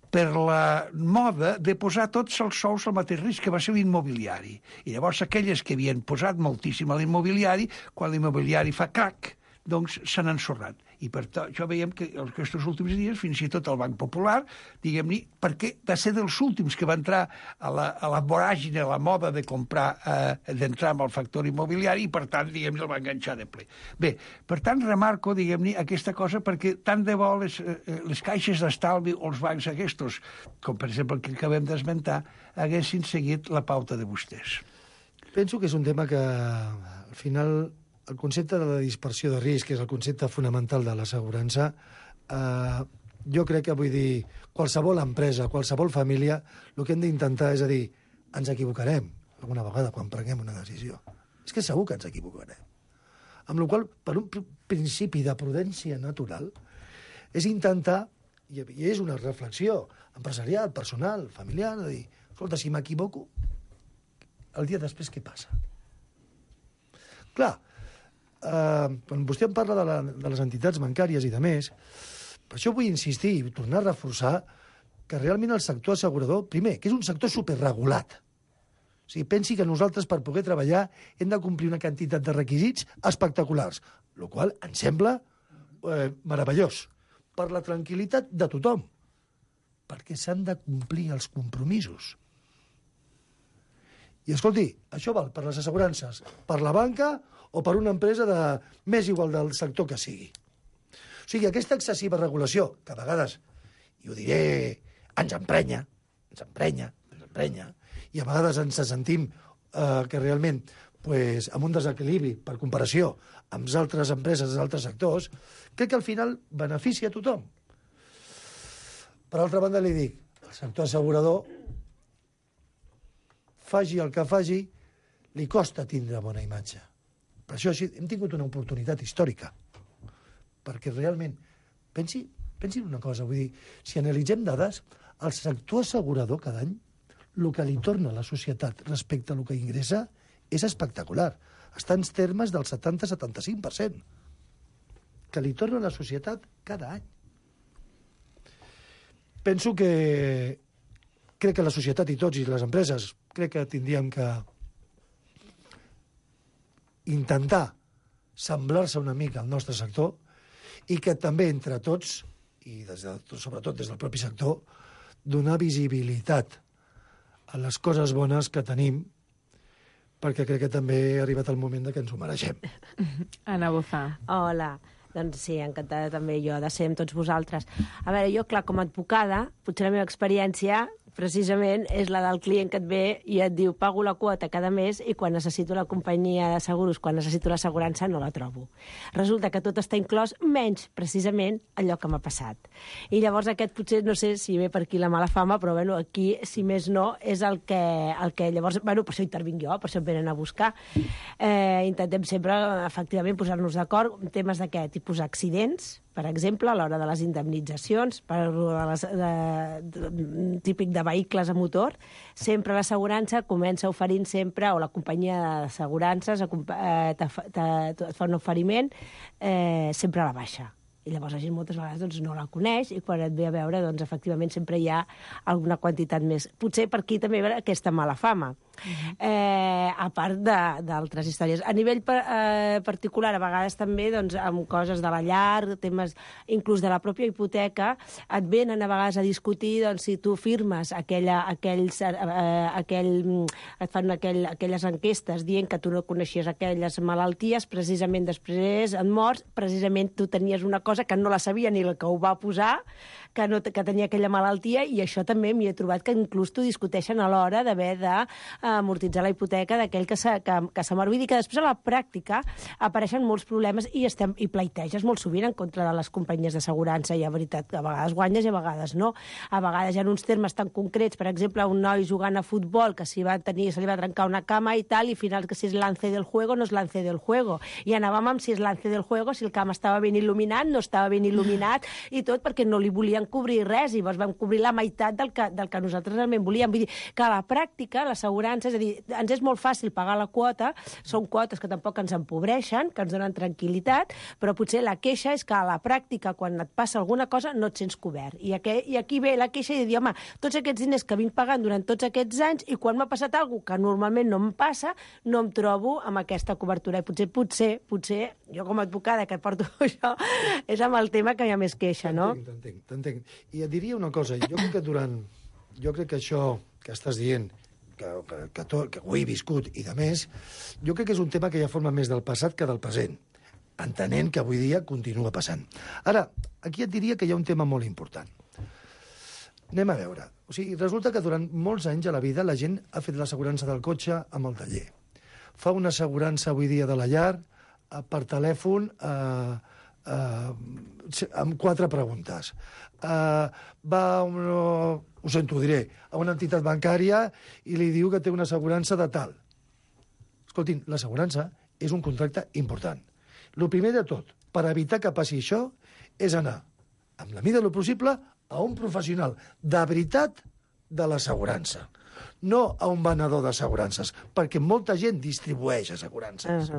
per la moda de posar tots els sous al mateix risc, que va ser l'immobiliari. I llavors aquelles que havien posat moltíssim a l'immobiliari, quan l'immobiliari fa crac, doncs s'han ensorrat. I per això veiem que aquests últims dies, fins i tot el Banc Popular, diguem-ne, perquè va ser dels últims que va entrar a la voràgine, a la moda de comprar, d'entrar amb el factor immobiliari, i per tant, diguem-ne, el va enganxar de ple. Bé, per tant, remarco, diguem-ne, aquesta cosa, perquè tant de bo les caixes d'estalvi o els bancs aquests, com per exemple el que acabem d'esmentar, haguessin seguit la pauta de vostès. Penso que és un tema que, al final, el concepte de la dispersió de risc, que és el concepte fonamental de l'assegurança, jo crec que, vull dir, qualsevol empresa, qualsevol família, el que hem d'intentar és a dir, ens equivocarem alguna vegada quan prenguem una decisió. És que segur que ens equivocarem. Amb la qual cosa, per un principi de prudència natural, és intentar, i és una reflexió empresarial, personal, familiar, de dir, escolta, si m'equivoco, el dia després què passa? Clar, quan vostè em parla de les entitats bancàries i de més, per això vull insistir i tornar a reforçar que realment el sector assegurador, primer, que és un sector superregulat. O sigui, pensi que nosaltres, per poder treballar, hem de complir una quantitat de requisits espectaculars, el qual em sembla meravellós, per la tranquil·litat de tothom, perquè s'han de complir els compromisos. I escolti, això val per les assegurances, per la banca o per una empresa més igual del sector que sigui. O sigui, aquesta excessiva regulació, que a vegades, i ho diré, ens emprenya, i a vegades ens sentim que realment, amb un desequilibri per comparació amb altres empreses d'altres sectors, crec que al final beneficia a tothom. Per altra banda, li dic, el sector assegurador, faci el que faci, li costa tindre bona imatge. Per això hem tingut una oportunitat històrica, perquè realment, pensi en una cosa, vull dir, si analitzem dades, el sector assegurador cada any, el que li torna a la societat respecte a el que ingressa és espectacular. Està en termes del 70-75%, que li torna a la societat cada any. Penso que crec que la societat i tots i les empreses crec que tindríem que intentar semblar-se una mica al nostre sector i que també entre tots, i sobretot des del propi sector, donar visibilitat a les coses bones que tenim, perquè crec que també ha arribat el moment de que ens ho mereixem. Anna Bozà. Hola. Doncs sí, encantada també jo de ser amb tots vosaltres. A veure, jo, clar, com a advocada, potser la meva experiència precisament és la del client que et ve i et diu pago la quota cada mes i quan necessito la companyia de seguros, quan necessito l'assegurança, no la trobo. Resulta que tot està inclòs, menys precisament allò que m'ha passat. I llavors aquest potser, no sé si ve per aquí la mala fama, però bueno, aquí, si més no, és el que llavors, bueno, per això intervinc jo, per això em venen a buscar. Intentem sempre, efectivament, posar-nos d'acord en temes d'aquest tipus d'accidents, per exemple, a l'hora de les indemnitzacions, típic de vehicles a motor, sempre l'assegurança comença oferint sempre, o la companyia d'assegurances et fa un oferiment sempre a la baixa. I llavors la gent moltes vegades doncs, no la coneix i quan et ve a veure, doncs, efectivament, sempre hi ha alguna quantitat més. Potser per aquí també hi ha aquesta mala fama. A part d'altres històries. A nivell particular, a vegades també doncs, amb coses de la llar, temes inclús de la pròpia hipoteca, et venen a vegades a discutir doncs, si tu firmes et fan aquelles enquestes dient que tu no coneixies aquelles malalties, precisament després et mors, precisament tu tenies una cosa que no la sabia ni el que ho va posar, que tenia aquella malaltia, i això també m'hi he trobat que inclús t'ho discuteixen a l'hora d'haver d'amortitzar la hipoteca d'aquell que se mor. Vull dir que després a la pràctica apareixen molts problemes i pleiteges molt sovint en contra de les companyies d'assegurança. I a veritat que a vegades guanyes i a vegades no. A vegades hi ha uns termes tan concrets, per exemple, un noi jugant a futbol que se li va trencar una cama i tal, i al final que si és lance del juego no és lance del juego. I anàvem amb si és lance del juego, si el camp estava ben il·luminat, no estava ben il·luminat, i tot perquè no li volien cobrir res, i llavors vam cobrir la meitat del que nosaltres realment volíem. Vull dir que a la pràctica l'assegurança, és a dir, ens és molt fàcil pagar la quota, són quotes que tampoc ens empobreixen, que ens donen tranquil·litat, però potser la queixa és que a la pràctica, quan et passa alguna cosa, no et sents cobert. I aquí ve la queixa i dir, home, tots aquests diners que vinc pagant durant tots aquests anys, i quan m'ha passat alguna cosa que normalment no em passa, no em trobo amb aquesta cobertura. I potser, jo com a advocada que porto això, és amb el tema que hi ha més queixa, no? T'entenc. I et diria una cosa, jo crec que això que estàs dient, que ho he viscut i de més, jo crec que és un tema que ja forma més del passat que del present, entenent que avui dia continua passant. Ara, aquí et diria que hi ha un tema molt important. Anem a veure. O sigui, resulta que durant molts anys a la vida la gent ha fet l'assegurança del cotxe amb el taller. Fa una assegurança avui dia de la llar per telèfon amb 4 preguntes. Ho sento, ho diré, a una entitat bancària i li diu que té una assegurança de tal. Escoltin, l'assegurança és un contracte important. El primer de tot, per evitar que passi això, és anar, amb la mida del possible, a un professional de veritat de l'assegurança. No a un venedor d'assegurances, perquè molta gent distribueix assegurances.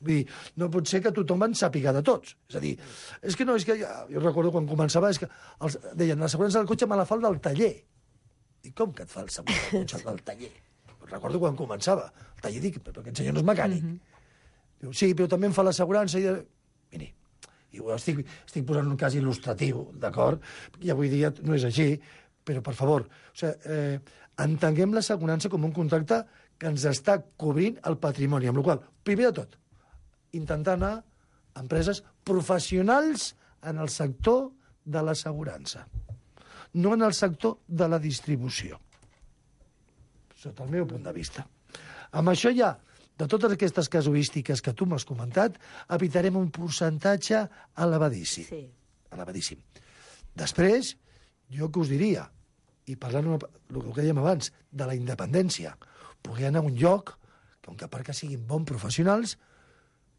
Vull dir, no pot ser que tothom en sàpiga de tots. És a dir, jo recordo quan començava, deien, l'assegurança del cotxe me la fa el del taller. Dic, com que et fa l'assegurança del cotxe del taller? Recordo quan començava. El taller, dic, però aquest senyor no és mecànic. Diu, sí, però també em fa l'assegurança i... Miri, estic posant un cas il·lustratiu, d'acord? I avui dia no és així, però, per favor, entenguem l'assegurança com un contracte que ens està cobrint el patrimoni, amb la qual cosa, primer de tot, intentar anar a empreses professionals en el sector de l'assegurança, no en el sector de la distribució, sota el meu punt de vista. Amb això ja, de totes aquestes casuístiques que tu m'has comentat, evitarem un percentatge elevadíssim. Sí. Elevadíssim. Després, jo que us diria, i parlant el que dèiem abans, de la independència, poder anar a un lloc que com que a part que siguin bons professionals,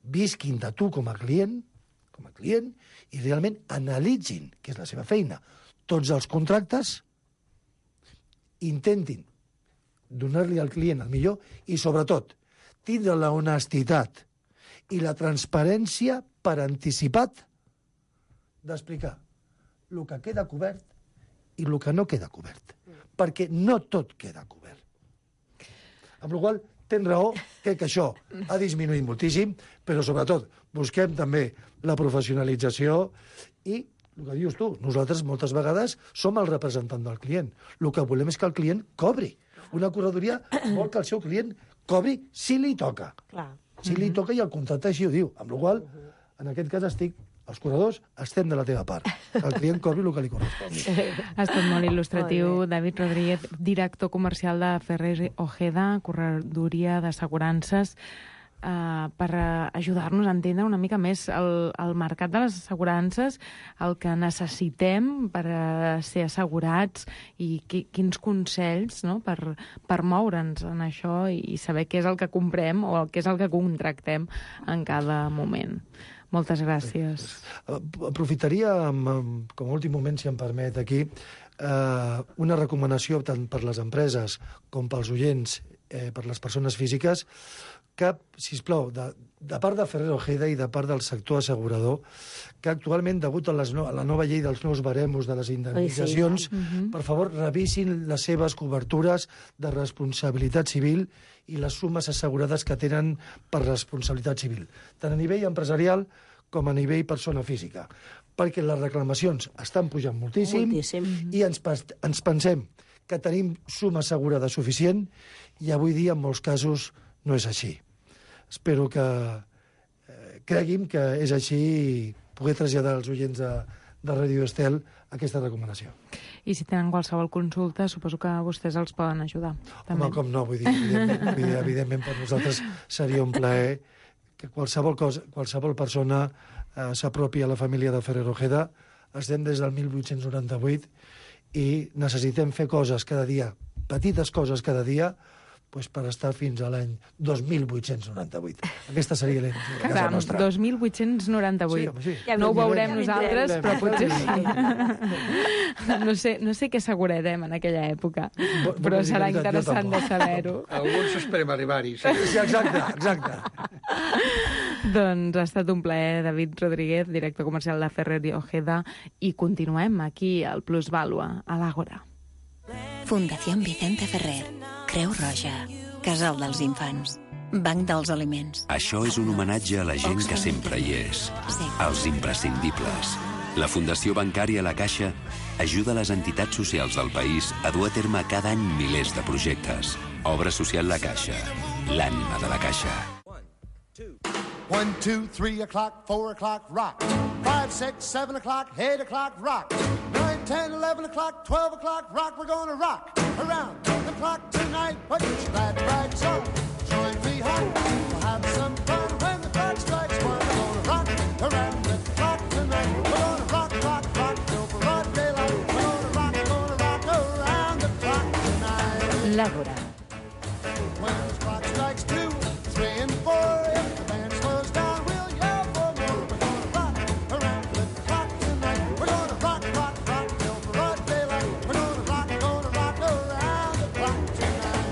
visquin de tu com a client, i realment analitzin, que és la seva feina, tots els contractes, intentin donar-li al client el millor i, sobretot, tindre la honestitat i la transparència per anticipat d'explicar el que queda cobert i el que no queda cobert. Perquè no tot queda cobert. Amb la qual cosa, tens raó, crec que això ha disminuït moltíssim, però sobretot busquem també la professionalització i el que dius tu, nosaltres moltes vegades som el representant del client. El que volem és que el client cobri. Una corredoria vol que el seu client cobri si li toca. Si li toca i el contracte així ho diu. Amb la qual cosa, en aquest cas els corredors estem de la teva part. El client cobri el que li correspon. Ha estat molt il·lustratiu. David Rodríguez, director comercial de Ferrer Ojeda, corredoria d'assegurances, per ajudar-nos a entendre una mica més el mercat de les assegurances, el que necessitem per ser assegurats i quins consells, no?, per moure'ns en això i saber què és el que comprem o què és el que contractem en cada moment. Moltes gràcies. Aprofitaria, com a últim moment, si em permet, aquí, una recomanació tant per les empreses com pels oients, per les persones físiques, que, sisplau, de part de Ferrer Ojeda i de part del sector assegurador, que actualment, degut a la nova llei dels nous baremos de les indemnitzacions, per favor, revisin les seves cobertures de responsabilitat civil i les sumes assegurades que tenen per responsabilitat civil, tant a nivell empresarial com a nivell persona física, perquè les reclamacions estan pujant moltíssim. I ens pensem que tenim suma assegurada suficient i avui dia, en molts casos, no és així. Espero que creguin que és així i poder traslladar als oients de Ràdio Estel aquesta recomanació. I si tenen qualsevol consulta, suposo que vostès els poden ajudar. Home, com no, vull dir, evidentment per nosaltres seria un plaer que qualsevol persona s'apropi a la família de Ferrer Ojeda. Estem des del 1898 i necessitem fer coses cada dia, petites coses cada dia, per estar fins a l'any 2898. Aquesta seria la casa nostra. 2898. Sí. No ho veurem nosaltres, però potser sí. No sé què assegurarem en aquella època, però serà interessant de saber-ho. Alguns esperem arribar-hi. Sí, exacte. Doncs ha estat un plaer, David Rodríguez, director comercial de Ferrer Ojeda, i continuem aquí al Plusvàlua, a l'Àgora. Fundació Vicente Ferrer, Creu Roja, Casal dels Infants, Banc dels Aliments. Això és un homenatge a la gent que sempre hi és, als imprescindibles. La Fundació Bancària La Caixa ajuda les entitats socials del país a dur a terme cada any milers de projectes. Obra social La Caixa, l'ànima de la Caixa. 1, 2, 3 o'clock, 4 o'clock, rock. 5, 6, 7 o'clock, 8 o'clock, rock. 9, 10, 11 o'clock, 12 o'clock, rock. We're gonna rock around the clock tonight. Put your glad rags on, join me home. We'll have some fun when the clock strikes 1. We're gonna rock around the clock tonight. We're gonna rock, rock, rock till broad daylight. We're gonna rock around the clock tonight. L'Àgora. When the clock strikes 2, 3 and 4, if the band slows down, we'll yell for more. We're gonna rock around the clock tonight. We're gonna rock, rock, rock till broad daylight. We're gonna rock around the clock tonight.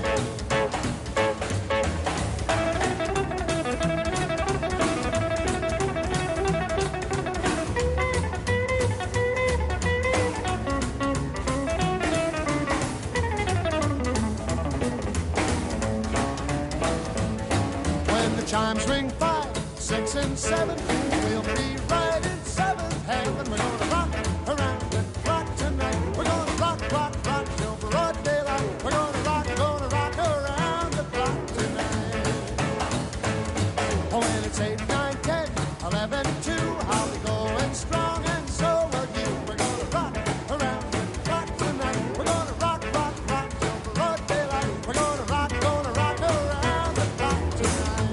When the chimes ring 5, 6 and 7, we'll be right in 7th heaven. We're gonna rock around the clock tonight. We're gonna rock, rock, rock till broad daylight. We're gonna rock around the clock tonight. Oh, when it's 8, 9, 10, 11, 2, I'll be going strong and so will you. We're gonna rock around the clock tonight. We're gonna rock, rock, rock till broad daylight. We're gonna rock around the clock tonight.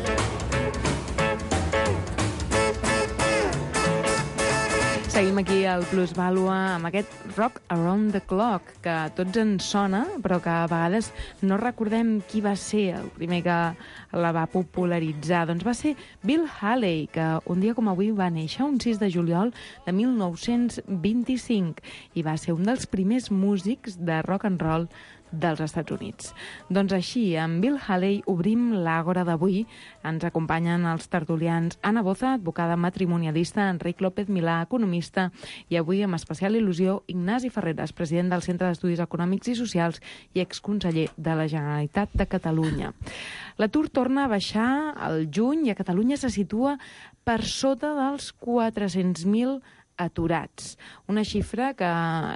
Seguim aquí al Plusvàlua amb aquest Rock Around the Clock, que a tots ens sona, però que a vegades no recordem qui va ser el primer que la va popularitzar. Doncs va ser Bill Haley, que un dia com avui va néixer un 6 de juliol de 1925 i va ser un dels primers músics de rock and roll dels Estats Units. Doncs així, amb Bill Haley obrim l'Àgora d'avui. Ens acompanyen els tertulians Anna Boza, advocada matrimonialista, Enric López Milà, economista, i avui amb especial il·lusió Ignasi Ferreres, president del Centre d'Estudis Econòmics i Socials i exconseller de la Generalitat de Catalunya. L'atur torna a baixar al juny i a Catalunya se situa per sota dels 400.000 aturats. Una xifra que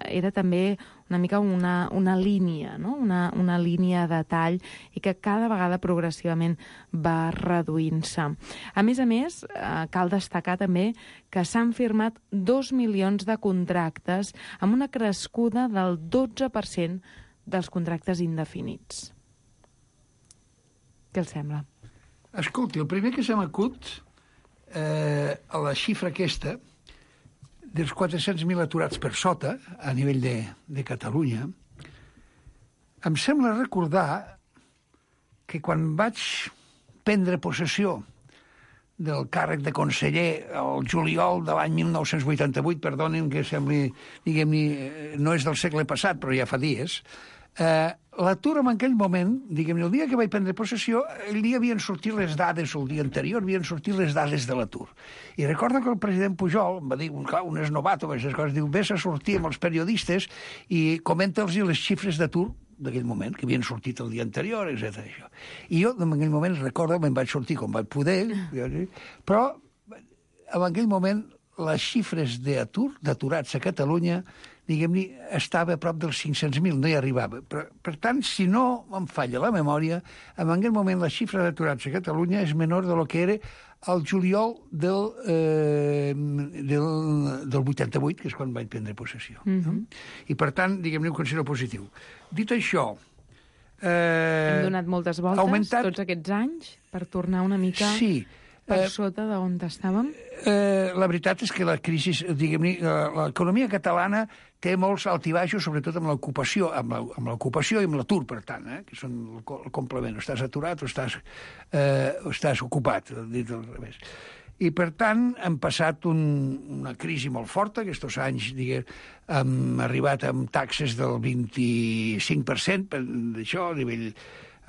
era també una mica una línia, no? una línia de tall i que cada vegada progressivament va reduint-se. A més, cal destacar també que s'han firmat 2 milions de contractes amb una crescuda del 12% dels contractes indefinits. Què els sembla? Escolti, el primer que se m'acut a la xifra aquesta dels 400.000 aturats per sota, a nivell de Catalunya, em sembla recordar que quan vaig prendre possessió del càrrec de conseller el juliol de l'any 1988, perdonin que sembli, diguem-ne, no és del segle passat, però ja fa dies, l'atur en aquell moment, diguem-ne, el dia que vaig prendre possessió, el dia havien sortit les dades, el dia anterior havien sortit les dades de l'atur. I recordo que el president Pujol em va dir, clar, un és novato, aquestes coses, diu, vés a sortir amb els periodistes i comenta'ls les xifres d'atur d'aquell moment, que havien sortit el dia anterior, etc. I jo, en aquell moment, recordo, me'n vaig sortir com vaig poder, però en aquell moment les xifres d'aturats a Catalunya, diguem-ne, estava a prop dels 500.000, no hi arribava. Per tant, si no em falla la memòria, en aquell moment la xifra d'aturats a Catalunya és menor de lo que era el juliol del 88, que és quan vaig prendre possessió. No? I per tant, diguem-ne, ho considero positiu. Dit això... Hem donat moltes voltes tots aquests anys per tornar una mica... Sí. Per sota d'on estàvem? La veritat és que la crisi, diguem-ne, l'economia catalana té molts altibaixos, sobretot amb l'ocupació, amb l'ocupació i amb l'atur, per tant, que són el complement. O estàs aturat o estàs ocupat, dit al revés. I, per tant, hem passat una crisi molt forta. Aquests anys, hem arribat amb taxes del 25%, d'això,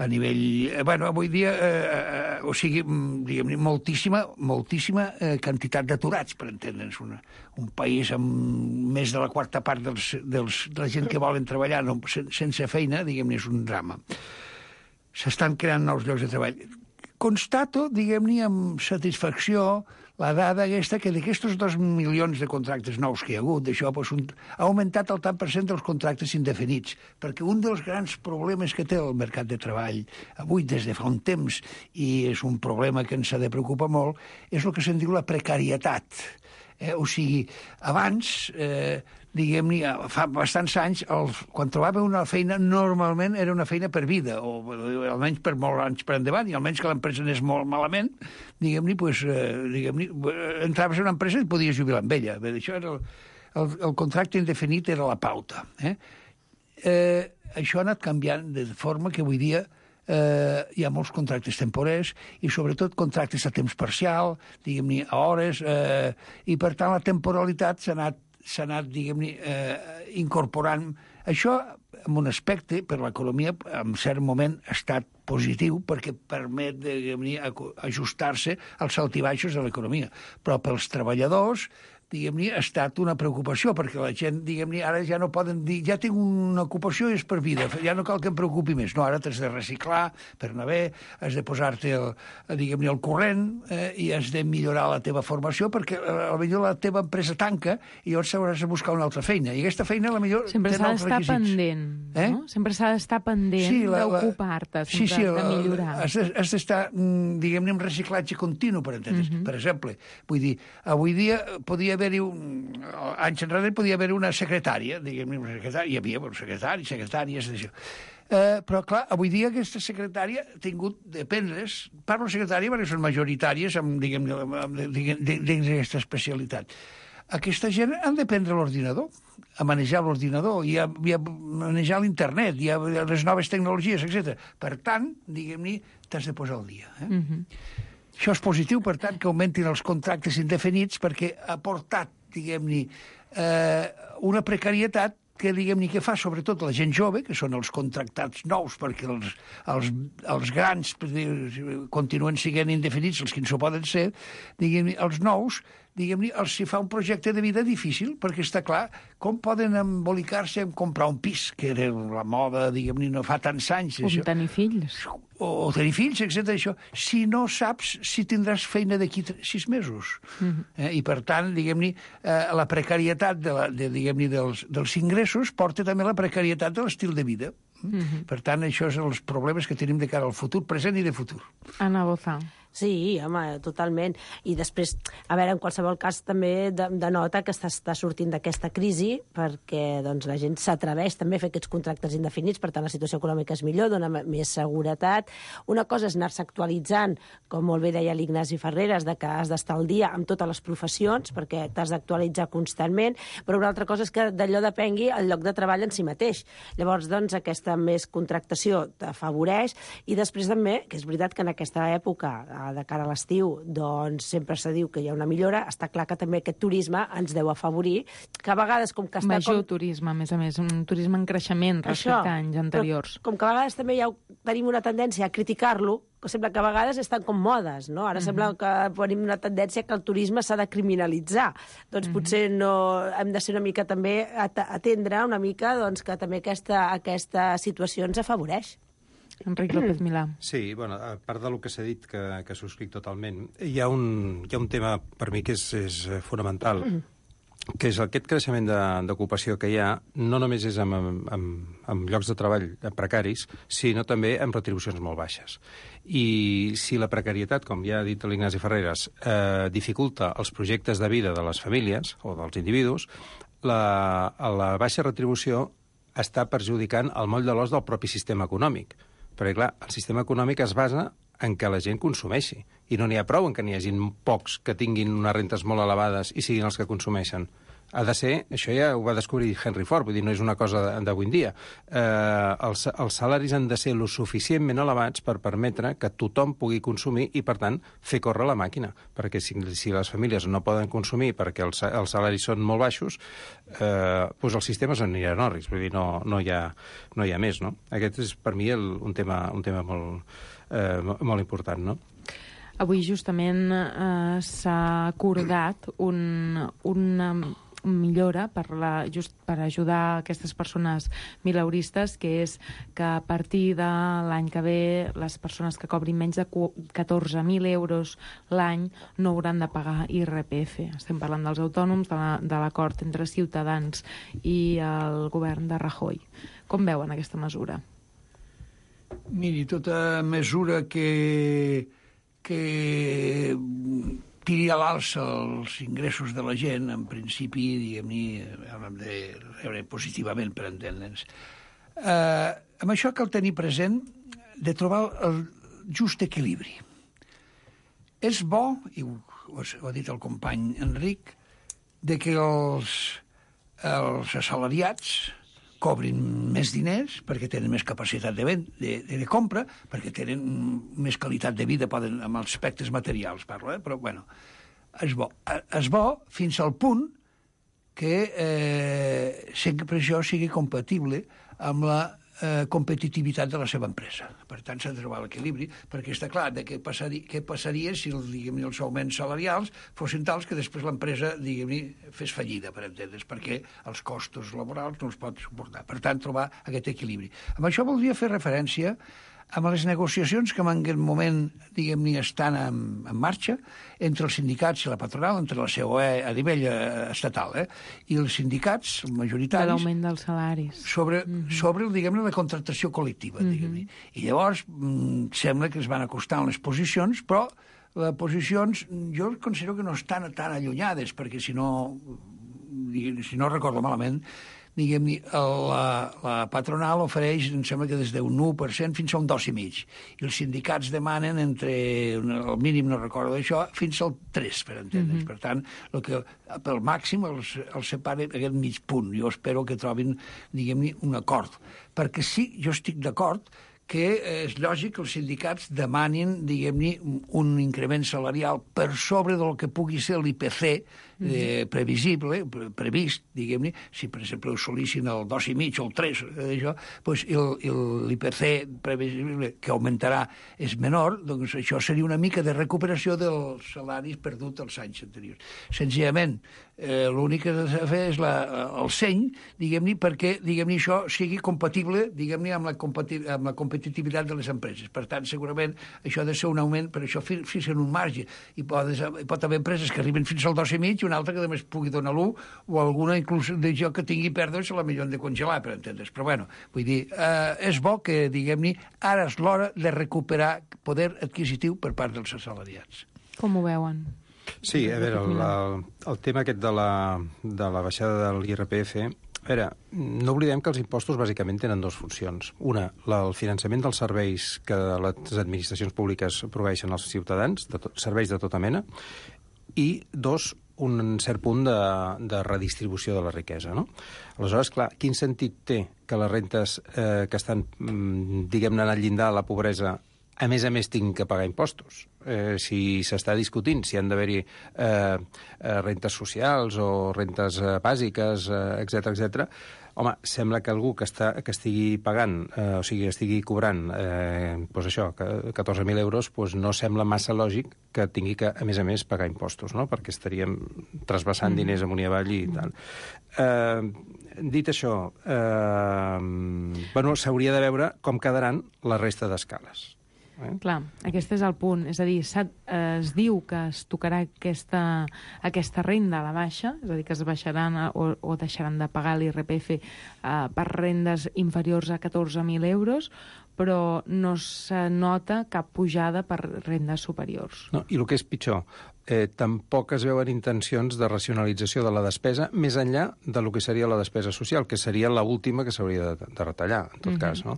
a nivell... Bueno, avui dia, o sigui, diguem-ne, moltíssima quantitat d'aturats, per entendre'ns. Un país amb més de la quarta part de la gent que volen treballar sense feina, diguem-ne, és un drama. S'estan creant nous llocs de treball. Constato, diguem-ne, amb satisfacció la dada aquesta que d'aquests 2 milions de contractes nous que hi ha hagut, d'això ha augmentat el tant per cent dels contractes indefinits, perquè un dels grans problemes que té el mercat de treball avui des de fa un temps, i és un problema que ens ha de preocupar molt, és el que se'n diu la precarietat. O sigui, abans, diguem-ne, fa bastants anys, quan trobava una feina, normalment era una feina per vida, o almenys per molts anys per endavant, i almenys que l'empresa anés molt malament, diguem-ne, entraves en una empresa i et podies jubilar amb ella. Això era el contracte indefinit era la pauta. Això ha anat canviant de forma que avui dia hi ha molts contractes temporers i sobretot contractes a temps parcial, diguem-ne, a hores, i per tant la temporalitat s'ha anat, diguem-ne, incorporant. Això, en un aspecte, per l'economia, en cert moment ha estat positiu perquè permet, diguem-ne, ajustar-se als altibaixos de l'economia. Però pels treballadors, diguem-ne, ha estat una preocupació, perquè la gent, diguem-ne, ara ja no poden dir, ja tinc una ocupació i és per vida, ja no cal que em preocupi més. No, ara t'has de reciclar per anar bé, has de posar-te, diguem-ne, el corrent, i has de millorar la teva formació, perquè potser la teva empresa tanca i llavors hauràs de buscar una altra feina. I aquesta feina, potser, sempre té nous requisits. Pendent, no? Sempre s'ha d'estar pendent d'ocupar-te, de millorar. Has d'estar, diguem-ne, en reciclatge continu, per entendre's. Per exemple, vull dir, avui dia podia haver-hi anys enrere podia haver una secretària, diguem-ne, hi havia secretàries d'això. Però, clar, avui dia aquesta secretària ha tingut de prendre's, parlo secretària perquè són majoritàries dins d'aquesta especialitat. aquesta gent han de prendre l'ordinador, a manejar l'ordinador i a manejar l'internet i a les noves tecnologies, etc. Per tant, diguem-ne, t'has de posar al dia. Això és positiu, per tant, que augmentin els contractes indefinits perquè ha portat, diguem-ne, una precarietat que, diguem-ne, que fa sobretot la gent jove, que són els contractats nous, perquè els grans continuen sent indefinits, els que no s'ho poden ser, diguem-ne, els nous, diguem-ne, els hi fa un projecte de vida difícil, perquè està clar com poden embolicar-se en comprar un pis, que era la moda, diguem-ne, no fa tants anys. O tenir fills. O tenir fills, etc. Això, si no saps si tindràs feina d'aquí 6 mesos. I, per tant, diguem-ne, la precarietat dels ingressos porta també la precarietat de l'estil de vida. Per tant, això són els problemes que tenim de cara al futur, present i de futur. Anna Boza. Sí, home, totalment. I després, a veure, en qualsevol cas també denota que està sortint d'aquesta crisi perquè doncs, la gent s'atreveix també a fer aquests contractes indefinits, per tant la situació econòmica és millor, dona més seguretat. Una cosa és anar-se actualitzant, com molt bé deia l'Ignasi Ferreres, de que has d'estar al dia amb totes les professions perquè t'has d'actualitzar constantment, però una altra cosa és que d'allò depengui el lloc de treball en si mateix. Llavors, doncs, aquesta més contractació t'afavoreix i després també, que és veritat que en aquesta època de cara a l'estiu, doncs sempre se diu que hi ha una millora, està clar que també aquest turisme ens deu afavorir, que a vegades com que està... Major turisme, a més, un turisme en creixement respecte a anys anteriors. Com que a vegades també ja tenim una tendència a criticar-lo, que sembla que a vegades estan com modes, no? Ara sembla que tenim una tendència que el turisme s'ha de criminalitzar. Doncs potser no hem de ser una mica també atendre una mica doncs, que també aquesta situació ens afavoreix. Enric López Milà. Sí, bueno, a part del que s'ha dit, que subscric totalment, hi ha un tema per mi que és fonamental, que és aquest creixement d'ocupació que hi ha, no només és amb llocs de treball precaris, sinó també amb retribucions molt baixes. I si la precarietat, com ja ha dit l'Ignasi Ferreres, dificulta els projectes de vida de les famílies o dels individus, la baixa retribució està perjudicant el moll de l'os del propi sistema econòmic. Perquè, clar, el sistema econòmic es basa en què la gent consumeixi. I no n'hi ha prou en què n'hi hagi pocs que tinguin unes rentes molt elevades i siguin els que consumeixen. Ha de ser, això ja ho va descobrir Henry Ford, vull dir, no és una cosa d'avui en dia. Els salaris han de ser lo suficientment elevats per permetre que tothom pugui consumir i, per tant, fer córrer la màquina. Perquè si les famílies no poden consumir perquè els salaris són molt baixos, doncs el sistema s'anirà en orris, vull dir, no hi ha més, no? Aquest és, per mi, un tema molt important, no? Avui, justament, s'ha acordat una millora per ajudar aquestes persones mileuristes, que és que a partir de l'any que ve les persones que cobrin menys de 14.000 euros l'any no hauran de pagar IRPF. Estem parlant dels autònoms, de l'acord entre Ciutadans i el govern de Rajoy. Com veuen aquesta mesura? Miri, tota mesura que tiri a l'alça els ingressos de la gent, en principi, diguem-ne, haurem de rebre positivament, per entendre'ns. Amb això cal tenir present de trobar el just equilibri. És bo, i ho ha dit el company Enric, de que els assalariats cobrin més diners perquè tenen més capacitat de compra, perquè tenen més qualitat de vida, amb els aspectes materials, parlo, però, bueno, és bo. És bo fins al punt que sempre això sigui compatible amb la competitivitat de la seva empresa. Per tant, s'ha de trobar l'equilibri, perquè està clar de què passaria si els augments salarials fossin tals que després l'empresa, fes fallida, per entendre's, perquè els costos laborals no els pot suportar. Per tant, trobar aquest equilibri. Amb això voldria fer referència amb les negociacions que en aquest moment, estan en marxa entre els sindicats i la patronal, entre la COE a nivell estatal, i els sindicats majoritaris... De l'augment dels salaris. Sobre la contractació col·lectiva, I llavors sembla que es van acostant les posicions, però les posicions jo considero que no estan tan allunyades, perquè si no recordo malament, diguem-ne, la patronal ofereix, em sembla que des d'un 1% fins a un 2,5%. I els sindicats demanen entre, el mínim no recordo això, fins al 3%, per entendre's. Per tant, el que pel màxim els separa aquest mig punt. Jo espero que trobin, diguem-ne, un acord. Perquè sí, jo estic d'acord que és lògic que els sindicats demanin, diguem-ne, un increment salarial per sobre del que pugui ser l'IPC previsible, previst, diguem-ne, si per exemple assolissin el 2,5 o el 3, doncs l'IPC previsible que augmentarà és menor, doncs això seria una mica de recuperació dels salaris perduts els anys anteriors. Senzillament, l'únic que s'ha de fer és el seny, diguem-ne, perquè això sigui compatible, diguem-ne, amb la competitivitat de les empreses. Per tant, segurament això ha de ser un augment, per això fixen un marge. Hi pot haver empreses que arriben fins al 2,5 i una altra que només pugui donar l'1, o alguna inclús d'això que tingui pèrdues se la millor de congelar, per entendre's. Però bueno, vull dir, és bo que, diguem-ne, ara és l'hora de recuperar poder adquisitiu per part dels assalariats. Com ho veuen? Sí, a veure, el tema aquest de la baixada de l'IRPF, a veure, no oblidem que els impostos bàsicament tenen dues funcions. Una, el finançament dels serveis que les administracions públiques proveeixen als ciutadans, serveis de tota mena, i dos, un cert punt de redistribució de la riquesa, no? Aleshores, clar, quin sentit té que les rentes que estan, diguem-ne, al llindar de la pobresa, a més tinguin que pagar impostos? Si s'està discutint si han d'haver-hi rentes socials o rentes bàsiques, etc. Home, sembla que algú que estigui pagant, o sigui, estigui cobrant, doncs això, 14.000 euros, doncs no sembla massa lògic que tingui que, a més, pagar impostos, no? Perquè estaríem trasbassant diners amunt i avall i tal. Dit això, s'hauria de veure com quedaran la resta d'escales. Clar, aquest és el punt. És a dir, es diu que es tocarà aquesta renda a la baixa, és a dir, que es baixaran o deixaran de pagar l'IRPF per rendes inferiors a 14.000 euros, però no se nota cap pujada per rendes superiors. No, i el que és pitjor, tampoc es veuen intencions de racionalització de la despesa més enllà de lo que seria la despesa social, que seria l'última que s'hauria de retallar, en tot cas, no?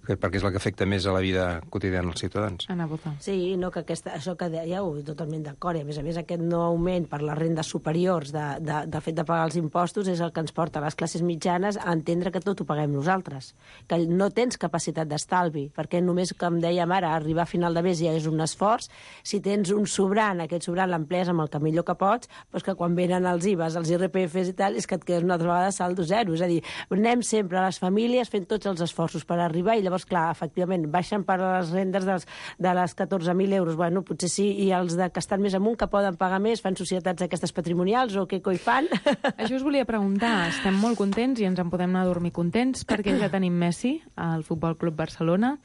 Perquè és la que afecta més a la vida quotidiana dels ciutadans. Anar a votar. Sí, no, que això que dèieu, totalment d'acord, i a més aquest no augment per les rendes superiors de fet de pagar els impostos és el que ens porta a les classes mitjanes a entendre que tot ho paguem nosaltres, que no tens capacitat d'estalvi, perquè només, com dèiem ara, arribar a final de mes ja és un esforç. Si tens un sobrant, aquest sobrant l'emplees amb el que millor que pots, doncs que quan venen els IVAs, els IRPFs i tal, és que et quedes una altra vegada saldo zero. És a dir, anem sempre a les famílies fent tots els esforços per arribar i llavors, clar, efectivament, baixen per les rendes de les 14.000 euros. Bueno, potser sí, i els que estan més amunt, que poden pagar més, fan societats aquestes patrimonials o què coi fan? Això us volia preguntar. Estem molt contents i ens en podem anar a dormir contents perquè ja tenim Messi al Futbol Club Barcelona,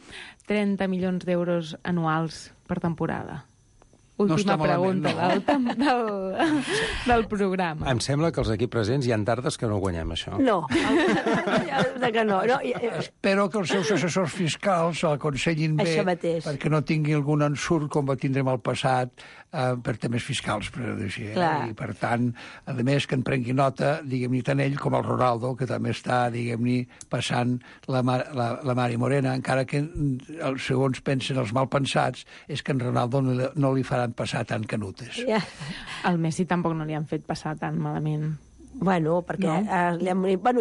30 milions d'euros anuals per temporada. Última pregunta del programa. Em sembla que els aquí presents hi ha tardes que no guanyem això. No, que no. Espero que els seus assessors fiscals l'aconsellin bé perquè no tingui algun ensurt com va tindre en el passat per temes fiscals, per dir així. I per tant, a més que en prengui nota, diguem-ne, tant ell com el Ronaldo, que també està, diguem-ne, passant la Mari Morena, encara que segons pensen els malpensats és que en Ronaldo no li farà passar tan canutes. Al Messi tampoc no li han fet passar tan malament. Bueno, perquè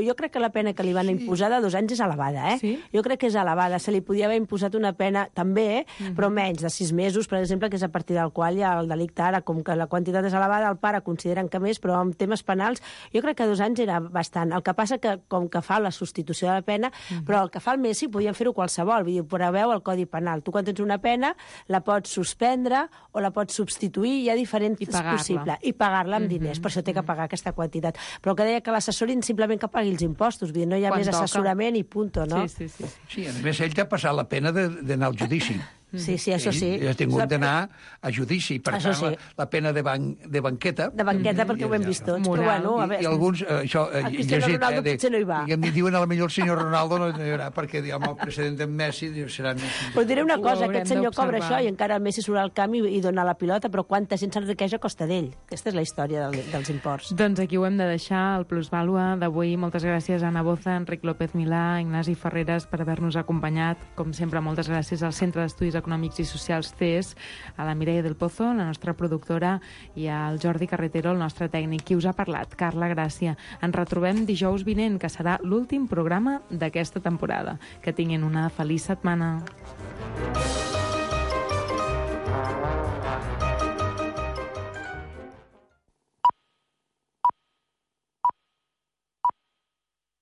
jo crec que la pena que li van imposar de 2 anys és elevada, Sí? Jo crec que és elevada. Se li podia haver imposat una pena també, però menys, de 6 mesos, per exemple, que és a partir del qual ja el delicte ara, com que la quantitat és elevada, el pare consideren que més, però amb temes penals jo crec que 2 anys era bastant. El que passa que, com que fa la substitució de la pena, però el que fa el Messi podien fer-ho qualsevol, vull dir, preveu el Codi Penal. Tu quan tens una pena la pots suspendre o la pots substituir, hi ha diferents possibles, i pagar-la amb diners, per això té que pagar aquesta quantitat. Però que deia que l'assessorin simplement que pagui els impostos, vull dir, no hi ha més assessorament i punto, no? Sí. Sí, a més, ell t'ha passat la pena d'anar al judici. Sí, això sí. I ha tingut d'anar a judici. Per Això tant, sí. la pena de banqueta... De banqueta, perquè ho hem vist tots. Però bueno, a veure... I alguns, això, el Cristiano Ronaldo potser no hi va. I em diuen, potser el senyor Ronaldo no hi haurà, perquè amb el precedent d'en Messi serà Messi. Però diré una cosa, haurem aquest senyor cobra d'observar. això i encara el Messi surt al camp i dona la pilota, però quanta gent s'enriqueix a costa d'ell. Aquesta és la història dels imports. Doncs aquí ho hem de deixar, el Plusvàlua d'avui. Moltes gràcies a Anna Boza, Enric López Milà, Ignasi Ferreres per haver-nos acompanyat. Com sempre, moltes gràcies al Centre d'Estudis Econòmics i Socials CES, a la Mireia del Pozo, la nostra productora, i al Jordi Carretero, el nostre tècnic. Qui us ha parlat? Carla Gràcia. Ens retrobem dijous vinent, que serà l'últim programa d'aquesta temporada. Que tinguin una feliç setmana.